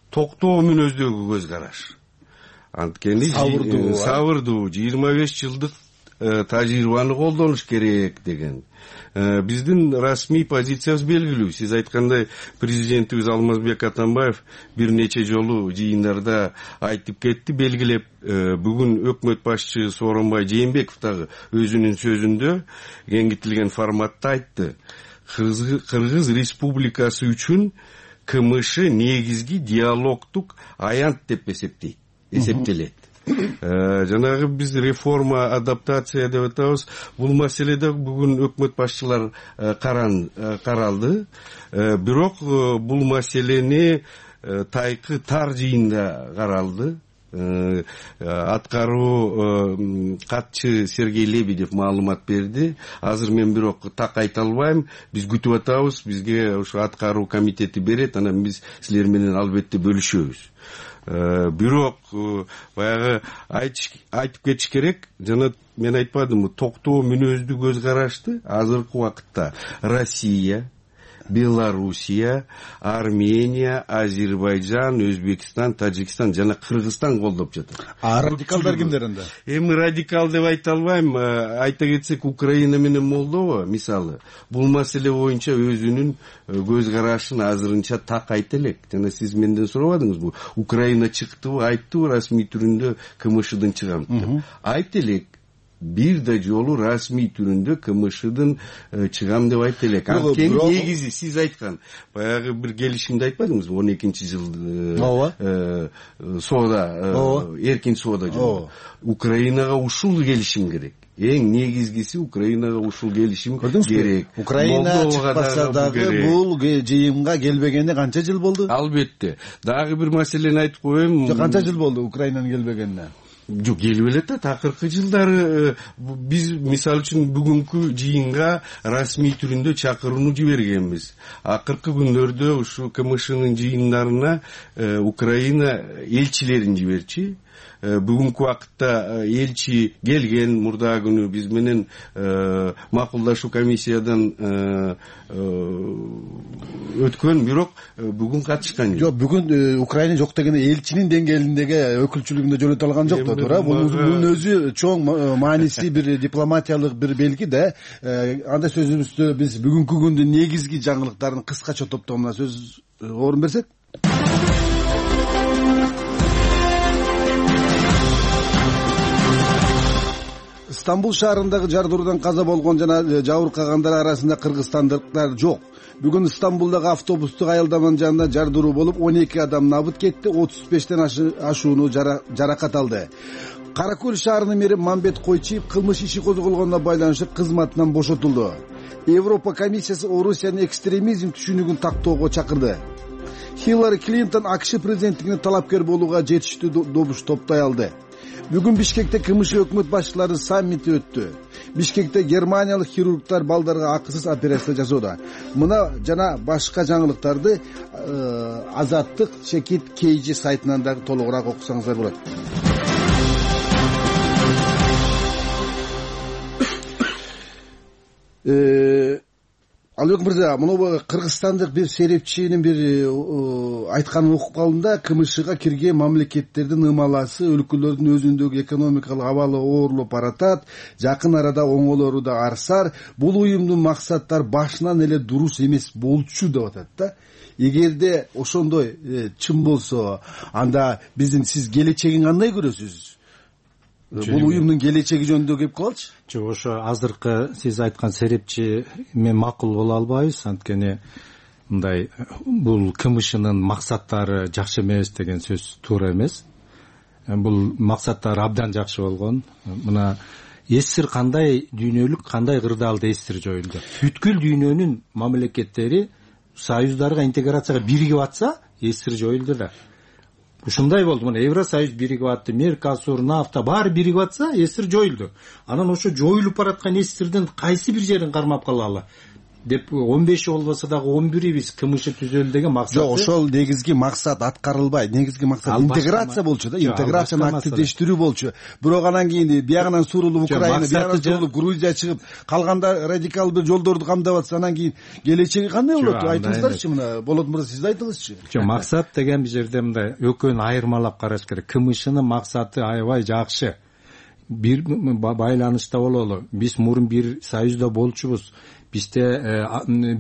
токтоо мүнөздөгү көз караш. Анткени сабырдуу жыйырма беш жылдык тажрыйбаны колдонуш керек деген. Биздин расмий позициябыз белгилүү. Сиз айткандай, президентибиз Алмазбек Атамбаев бир нече жолу жыйындарда айтып кетти, белгилеп. Бүгүн өкмөт башчы Сооронбай Жээнбеков дагы өзүнүн сөзүндө кеңейтилген форматта айтты. Кыргыз Республикасы үчүн КМШ негизги диалогтук аянт деп эсептейт, эсептелет. Жанагы биз реформа, адаптация деп атабыз. Бул маселеде бүгүн өкмөт башчылар каралды. Бирок бул маселени тайкы тар жыйында каралды. Аткаруу катчы Сергей Лебедев маалымат берди. Азыр мен бирок так айта албайм. Биз күтүп атабыз. Бизге ошо аткаруу комитети берет, анан биз силер менен албетте бөлүшөбүз. Бирок баягы айтып кетиш керек. Жана мен айтпадымбы, токтоо мүнөздүү көз карашты азыркы убакытта Россия, Белоруссия, Армения, Азербайджан, Өзбекстан, Тажикстан жана Кыргызстан колдоп жатат. А радикалдар кимдер анда? Эми радикал деп айта албайм. Айта кетсек, Украина менен Молдова мисалы бул маселе боюнча өзүнүн көз карашын азырынча так айта элек. Жана сиз менден сурабадыңызбы? Украина чыктыбы, айттыбы расмий түрүндө КМШдын чыгам деп. Айта элек. Бир да жолу расмий түрүндө КМШдын чыгам деп айта элек. Анткени негизи сиз айткан баягы бир келишимди айтпадыңызбы? он экинчи жылы соода, эркин соода жөнүндө. Украинага ушул келишим керек. Эң негизгиси Украинага ушул келишим керек. Украина чыкпаса дагы бул жыйынга келбегенине канча жыл болду? Албетте. Дагы бир маселени айтып коеюн. Канча жыл болду Украинанын келбегенине? Жок, келип эле да, такыркы жылдары биз мисалы үчүн бүгүнкү жыйынга расмий түрүндө чакырууну жибергенбиз. Акыркы күндөрдө ушу КМШнын жыйындарына Украина элчилерин жиберчи. Бүгүнкү убакытта элчи келген, мурда күнү биз менен макулдашуу комиссиядан өткөн, бирок бүгүн катышкан жок. Жок, бүгүн Украина жок деген элчинин деңгээлиндеги өкүлчүлүгүндө жөнөтө алган жок да, туура. Бунун өзү чоң мааниси бир дипломатиялык бир белги да. Андай сөзүбүздө биз бүгүнкү күндүн негизги жаңылыктарын кыскача топтогонуна сөз орун берсек. Стамбул шаарындагы жардыруудан каза болгон жана жабыркагандар арасында кыргызстандыктар жок. Бүгүн Стамбулдагы автобустук аялдаманын жанында жардыруу болуп, он эки адам набыт кетти, отуз бештен ашууну жаракат алды. Кара Көл шаарынын мэри Мамбет Койчиев кылмыш иши козголгонуна байланыштуу кызматынан бошотулду. Европа комиссиясы Орусиянын экстремизм түшүнүгүн тактоого чакырды. Хиллари Клинтон АКШ президенттигине талапкер болууга жетиштүү добуш топтой алды. Бүгүн Бишкекте КМШ өкмөт башчыларынын саммити өттү. Бишкекте германиялык хирургдар балдарга акысыз операция жасоодо. Мына жана башка жаңылыктарды Азаттык Чекит Кейжи сайтынан дагы толугураак окусаңыздар болот. Албек мырза, мына кыргызстандык бир серепчинин бир айтканын окуп калдым да, КМШга кирген мамлекеттердин ымаласы өлкөлөрдүн өзүндөгү экономикалык абалы оорлоп баратат, жакын арада оңолору да арсар, бул уюмдун максаттары башынан эле дурус эмес болчу деп атат да. Эгерде ошондой чын болсо, анда биздин сиз келечегин кандай көрөсүз? Бул уюмдун келечеги жөнүндө кеп калчы. Жок, ошо азыркы сиз айткан серепчи мен макул боло албайбыз, анткени мындай бул КМШнын максаттары жакшы эмес деген сөз туура эмес. Бул максаттары абдан жакшы болгон. Мына эсир кандай дүйнөлүк, кандай кырдаалда эсир жоюлду. Бүткүл дүйнөнүн мамлекеттери союздарга интеграцияга биригип атса, эсир жоюлду да. Ушундай болду. Мына Евросоюз биригип атты, Меркосур, нафта баары биригип атса, эсир жоюлду. Анан ошо жоюлуп бараткан эсирдин кайсы бир жерин кармап калалы деп он беши болбосо дагы он бири биз КМШ түзөлү деген максат. Жок, ошол негизги максат аткарылбайт. Негизги максат интеграция болчу да, интеграцияны активдештирүү болчу. Бирок анан кийин биягынан сурулуп Украина, биягынан сурулуп Грузия чыгып, калганда радикал бир жолдорду камдап атса, анан кийин келечеги кандай болот? Айтыңыздарчы, мына Болот мырза, сиз айтыңызчы. Жок, максат деген бир жерде мындай экөөнү айырмалап караш керек. КМШнын максаты аябай жакшы. Бир байланышта бололу. Биз мурун бир союзда болчубуз. Бизде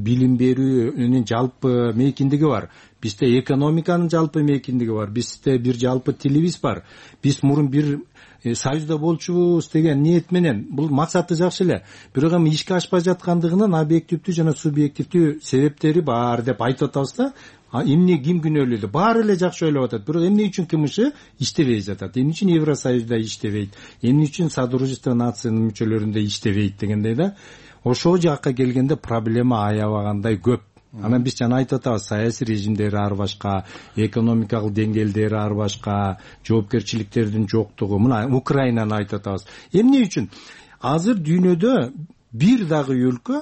билим берүүнүн жалпы мейкиндиги бар. Бизде экономиканын жалпы мейкиндиги бар. Бизде бир жалпы тилибиз бар. Биз мурун бир союзда болчубуз деген ниет менен бул максаты жакшы эле. Бирок эми ишке ашпай жаткандыгынын объективдүү жана субъективдүү себептери бар деп айтып атабыз да. Эмне ким күнөөлүү? Баары эле жакшы ойлоп атат. Бирок эмне үчүн КМШ иштебей жатат? Эмне үчүн Евросоюзда иштебейт? Эмне үчүн Содружество нациянын мүчөлөрүндө иштебейт дегендей да. Ошол жакка келгенде проблема аябагандай көп. Анан биз жана айтып атабыз, саясий режимдери ар башка, экономикалык деңгээлдери ар башка, жоопкерчиликтердин жоктугу. Мына Украинаны айтып атабыз. Эмне үчүн? Азыр дүйнөдө бир дагы өлкө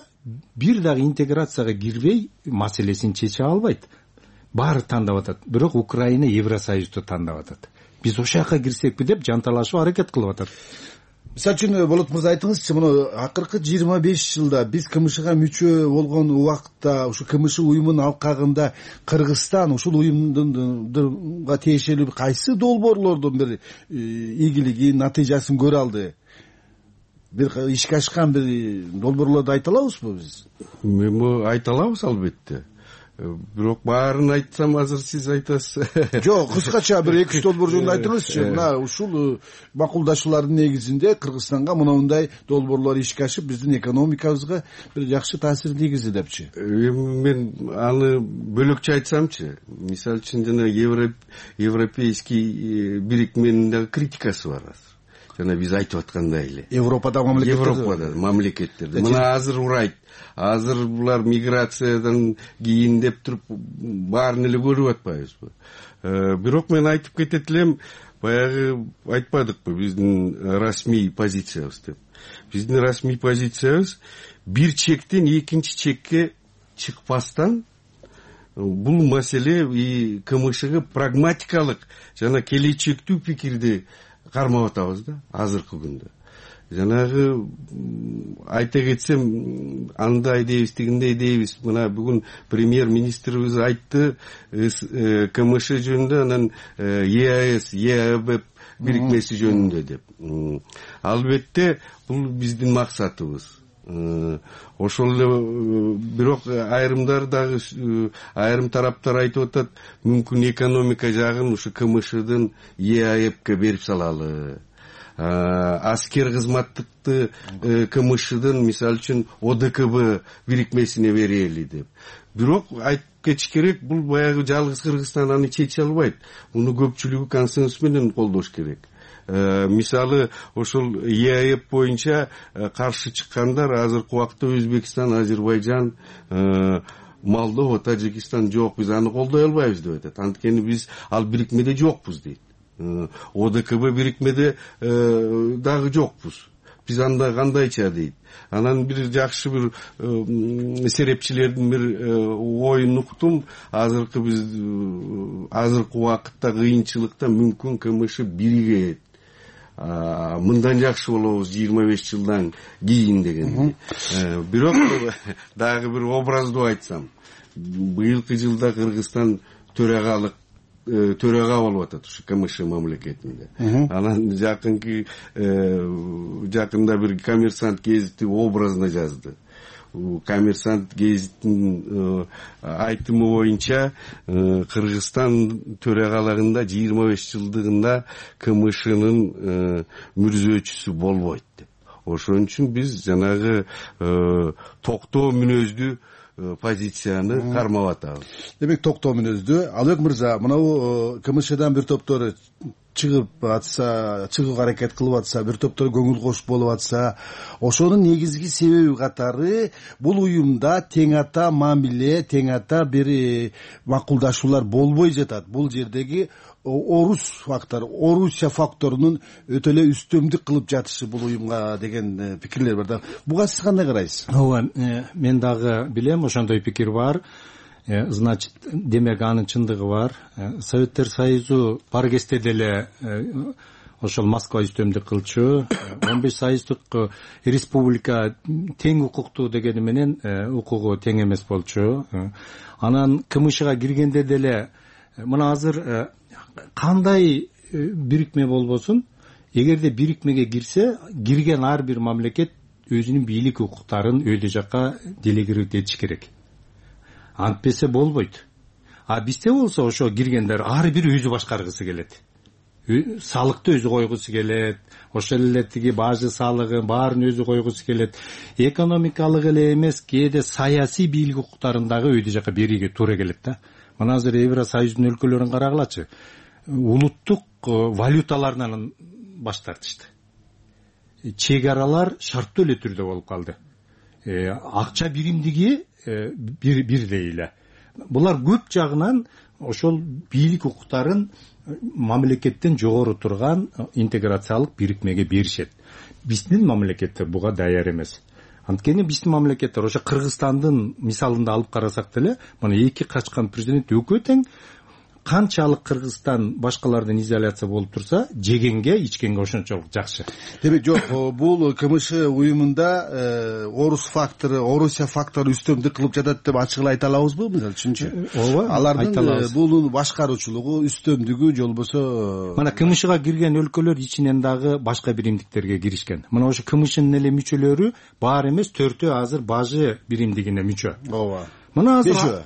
бир дагы интеграцияга кирбей маселесин чече албайт. Баары тандап атат. Бирок Украина Евросоюзду тандап атат. Биз ошол жака кирсекпи деп жанталашып аракет кылып атат. Мисалы үчүн Болот мырза, айтыңызчы, мына акыркы жыйырма беш жылда биз КМШга мүчө болгон убакытта, ушу КМШ уюмунун алкагында Кыргызстан ушул уюмдунга тиешелүү кайсы долбоорлордун бир ийгилигин, натыйжасын көрө алды? Бир ишке ашкан бир долбоорлорду айта алабызбы биз? Мен айта алабыз албетте. Бирок баарын айтсам азыр сиз айтасыз. Жок, кыскача бир эки үч долбоор жөнүндө айтыңызчы. Мына ушул макулдашуулардын негизинде Кыргызстанга мындай долбоорлор ишке ашып, биздин экономикабызга бир жакшы таасир тийгизди депчи. Мен аны бөлөкчө айтсамчы, мисалы үчүн жана европейский бирикменин дагы критикасы бар. Жана биз айтып аткандай эле. Европада мамлекеттерде. Европада мамлекеттерде. Мына азыр урайт. Азыр булар миграциядан кийин деп туруп баарын эле көрүп атпайбызбы? Бирок мен айтып кетет элем, баягы айтпадыкпы биздин расмий позициябыз деп. Биздин расмий позициябыз бир чектен экинчи чекке чыкпастан бул маселе КМШга прагматикалык жана келечектүү пикирди кармап атабыз да азыркы күндө. Жанагы айта кетсем, андай дейбиз, тигиндей дейбиз. Мына бүгүн премьер-министрибиз айтты КМШ жөнүндө, анан ЕАЭС, ЕАБ бирикмеси жөнүндө деп. Албетте бул биздин максатыбыз. Ошол эле, бирок айрымдар дагы, айрым тараптар айтып атат, мүмкүн экономика жагын ушу КМШдын ЕАЭБке берип салалы. Аскер кызматтыкты КМШдын, мисалы үчүн ОДКБ бирикмесине берели деп. Бирок айтып кетиш керек, бул баягы жалгыз Кыргызстан аны чече албайт. Муну көпчүлүгү консенсус менен колдош керек. мисалы ошол ЕАЭП боюнча каршы чыккандар азыркы убакта Өзбекстан, Азербайжан, Молдова, Тажикстан жок, биз аны колдой албайбыз деп айтат. Анткени биз ал бирикмеде жокпуз дейт. ОДКБ бирикмеде дагы жокпуз. Биз анда кандайча дейт. Анан бир жакшы бир серепчилердин бир оюн уктум. Азыркы биз азыркы убакытта кыйынчылыкта мүмкүн КМШ биригет. Мындан жакшы болобуз жыйырма беш жылдан кийин деген. Бирок дагы бир образдуу айтсам, быйылкы жылда Кыргызстан төрагалык төрага болуп атат ушу КМШ мамлекетинде. Анан жакынкы жакында бир Коммерсант гезити образына жазды. Коммерсант гезитинин айтымы боюнча Кыргызстан төрагалыгында жыйырма беш жылдыгында КМШнын мүрзөөчүсү болбойт деп. Ошон үчүн биз жанагы токтоо мүнөздүү позицияны кармап атабыз. Демек токтоо мүнөздүү. Албек мырза, мынау КМШдан бир топтор чыгып атса, чыгууга аракет кылып атса, бир топтор көңүл кош болуп атса, ошонун негизги себеби катары бул уюмда тең ата мамиле, тең ата бир макулдашуулар болбой жатат. Бул жердеги орус фактор, Орусия факторунун өтө эле үстөмдүк кылып жатышы бул уюмга деген пикирлер бар да. Буга сиз кандай карайсыз? Ооба, мен дагы билем, ошондой пикир бар. Значит, демек анын чындыгы бар. Советтер Союзу бар кезде деле ошол Москва үстөмдүк кылчу. он беш союздук республика тең укуктуу дегени менен укугу тең эмес болчу. Анан КМШга киргенде деле мына азыр кандай бирикме болбосун, эгерде бирикмеге кирсе, кирген ар бир мамлекет өзүнүн бийлик укуктарын өйдө жакка делегировать этиш керек. Антпесе болбойт. А бизде болсо ошо киргендер ар бир өзү башкаргысы келет. Салыкты өзү койгусу келет, ошол эле тиги бажы салыгын баарын өзү койгусу келет. Экономикалык эле эмес, кээде саясий бийлик укуктарын дагы өйдө жакка берүүгө туура келет да. Мына азыр Евросоюздун өлкөлөрүн карагылачы. Улуттук валюталарынан баш тартышты. Чек аралар шарттуу эле түрдө болуп калды. Акча биримдиги бир бирдей эле. Булар көп жагынан ошол бийлик укуктарын мамлекеттен жогору турган интеграциялык бирикмеге беришет. Биздин мамлекеттер буга даяр эмес. Анткени биздин мамлекеттер ошо Кыргызстандын мисалында алып карасак деле, мына эки качкан президент экөө тең. Канчалык Кыргызстан башкалардан изоляция болуп турса, жегенге, ичкенге ошончолук жакшы. Демек жок, бул КМШ уюмунда орус фактору, Орусия фактору үстөмдүк кылып жатат деп ачык айта алабызбы, мисалы үчүнчү? Ооба, алардын бул башкаруучулугу, үстөмдүгү жолбосо. Мына КМШга кирген өлкөлөр ичинен дагы башка биримдиктерге киришкен. Мына ошо КМШнын эле мүчөлөрү бар эмес, төртөө азыр бажы биримдигине мүчө. Ооба. Мына азыр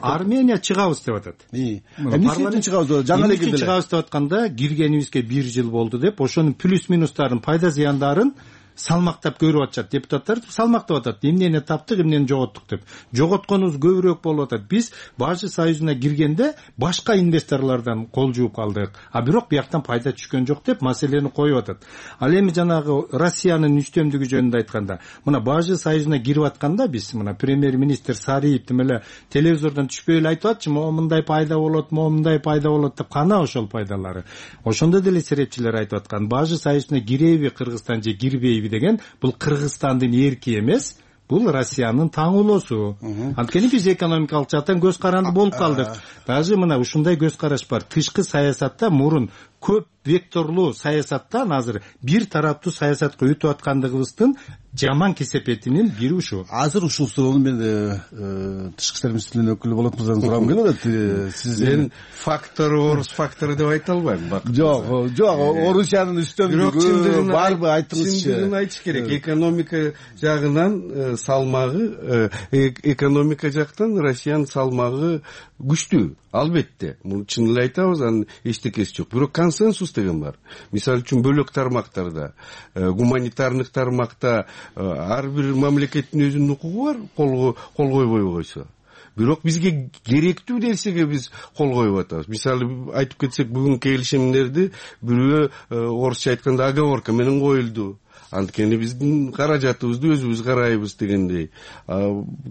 Армения чыгабыз деп атат. Эмнесин чыгабыз? Жаңы эле кирди. Чыгабыз деп атканда киргенибизге бир жыл болду деп, ошонун плюс минустарын, пайда зыяндарын салмактап көрүп атышат. Депутаттар салмактап атат. Эмнени таптык, эмнени жоготтук деп. Жоготконубуз көбүрөөк болуп атат. Биз Бажы союзуна киргенде башка инвесторлордон кол жууп калдык. А бирок бияктан пайда түшкөн жок деп маселени коюп атат. Ал эми жанагы Россиянын үстөмдүгү жөнүндө айтканда, мына Бажы союзуна кирип атканда биз мына премьер-министр Сариев тим эле телевизордон түшпөй эле айтып атчы, момундай пайда болот, момундай пайда болот деп, кана ошол пайдалары. Ошондо деле серепчилер айтып аткан, Бажы союзуна киреби Кыргызстан же кирбейби деген, бул Кыргызстандын эрки эмес, бул Россиянын таңуулоосу. Анткени биз экономикалык жактан көз каранды болуп калдык. Даже мына ушундай көз караш бар. Тышкы саясатта мурун көп векторлуу саясаттан азыр бир тараптуу саясатка өтүп аткандыгыбыздын жаман кесепетинин бири ушу. Азыр ушул суроону мен тышкы иштер министрлигинин өкүлү болот мырзадан сурагым келип атат. Сизден фактор орус фактору деп айта албайм. Жок, жок, Орусиянын үстөмдүгү барбы, айтыңызчы. Чындыгын айтыш керек. Экономика жагынан салмагы, экономика жактан Россиянын салмагы күчтүү. Албетте, муну чын эле айтабыз, анын эчтекеси жок. Бирок консенсус деген бар. Мисалы үчүн бөлөк тармактарда, гуманитардык тармакта ар бир мамлекеттин өзүнүн укугу бар, кол кол койбой койсо. бирок бизге керектүү нерсеге биз кол коюп атабыз. Мисалы айтып кетсек, бүгүнкү келишимдерди бирөө орусча айтканда оговорка менен коюлду. Анткени биздин каражатыбызды өзүбүз карайбыз дегендей.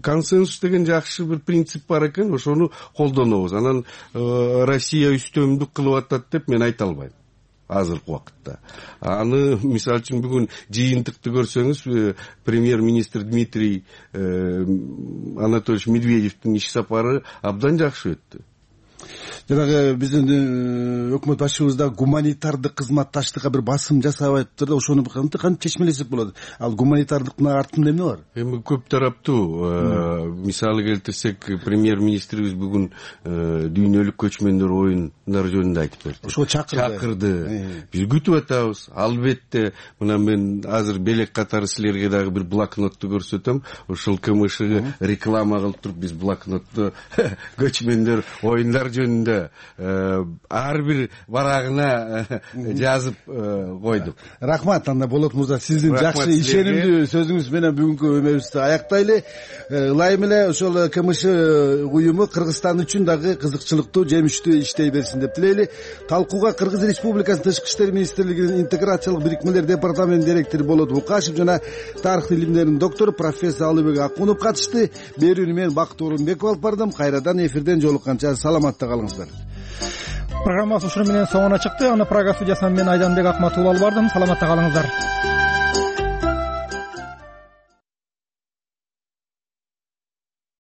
Консенсус деген жакшы бир принцип бар экен, ошону колдонобуз. Анан Россия үстөмдүк кылып атат деп мен айта албайм азыркы убакытта. Аны мисалы үчүн бүгүн жыйынтыкты көрсөңүз, премьер-министр Дмитрий Анатольевич Медведевдин иш сапары абдан жакшы өттү. Жанагы биздин өкмөт башчыбыз да гуманитардык кызматташтыкка бир басым жасап атыптыр да, ошону кантип чечмелесек болот? Ал гуманитардыктын артында эмне бар? Эми көп тараптуу. Мисалы келтирсек, премьер-министрибиз бүгүн дүйнөлүк көчмөндөр оюндар жөнүндө айтып берди. Ошого чакырды. Чакырды. Биз күтүп атабыз. Албетте, мына мен азыр белек катары силерге дагы бир блокнотту көрсөтөм. Ошол КМШ реклама кылып туруп, биз блокнотту көчмөндөр оюндар жөнүндө ар бир барагына жазып койдук. Рахмат. Анда Болот мырза, сиздин жакшы ишенимдүү сөзүңүз менен бүгүнкү өмөбүздү аяктайлы. Ылайым эле ошол КМШ уюму Кыргызстан үчүн дагы кызыкчылыктуу, жемиштүү иштей берсин деп тилейли. Талкууга Кыргыз Республикасынын Тышкы иштер министрлигинин интеграциялык бирикмелер департаментинин директору Болот Мукашев жана тарых илимдеринин доктору профессор Алыбек Акунов катышты. Берүүнү мен Бакыт Орунбеков алып бардым. Кайрадан эфирден жолукканча саламатта калыңыздар. Программабыз ушуну менен соңуна чыкты. Аны Прага студиясынан мен Айданбек Акматов алып бардым. Саламатта калыңыздар.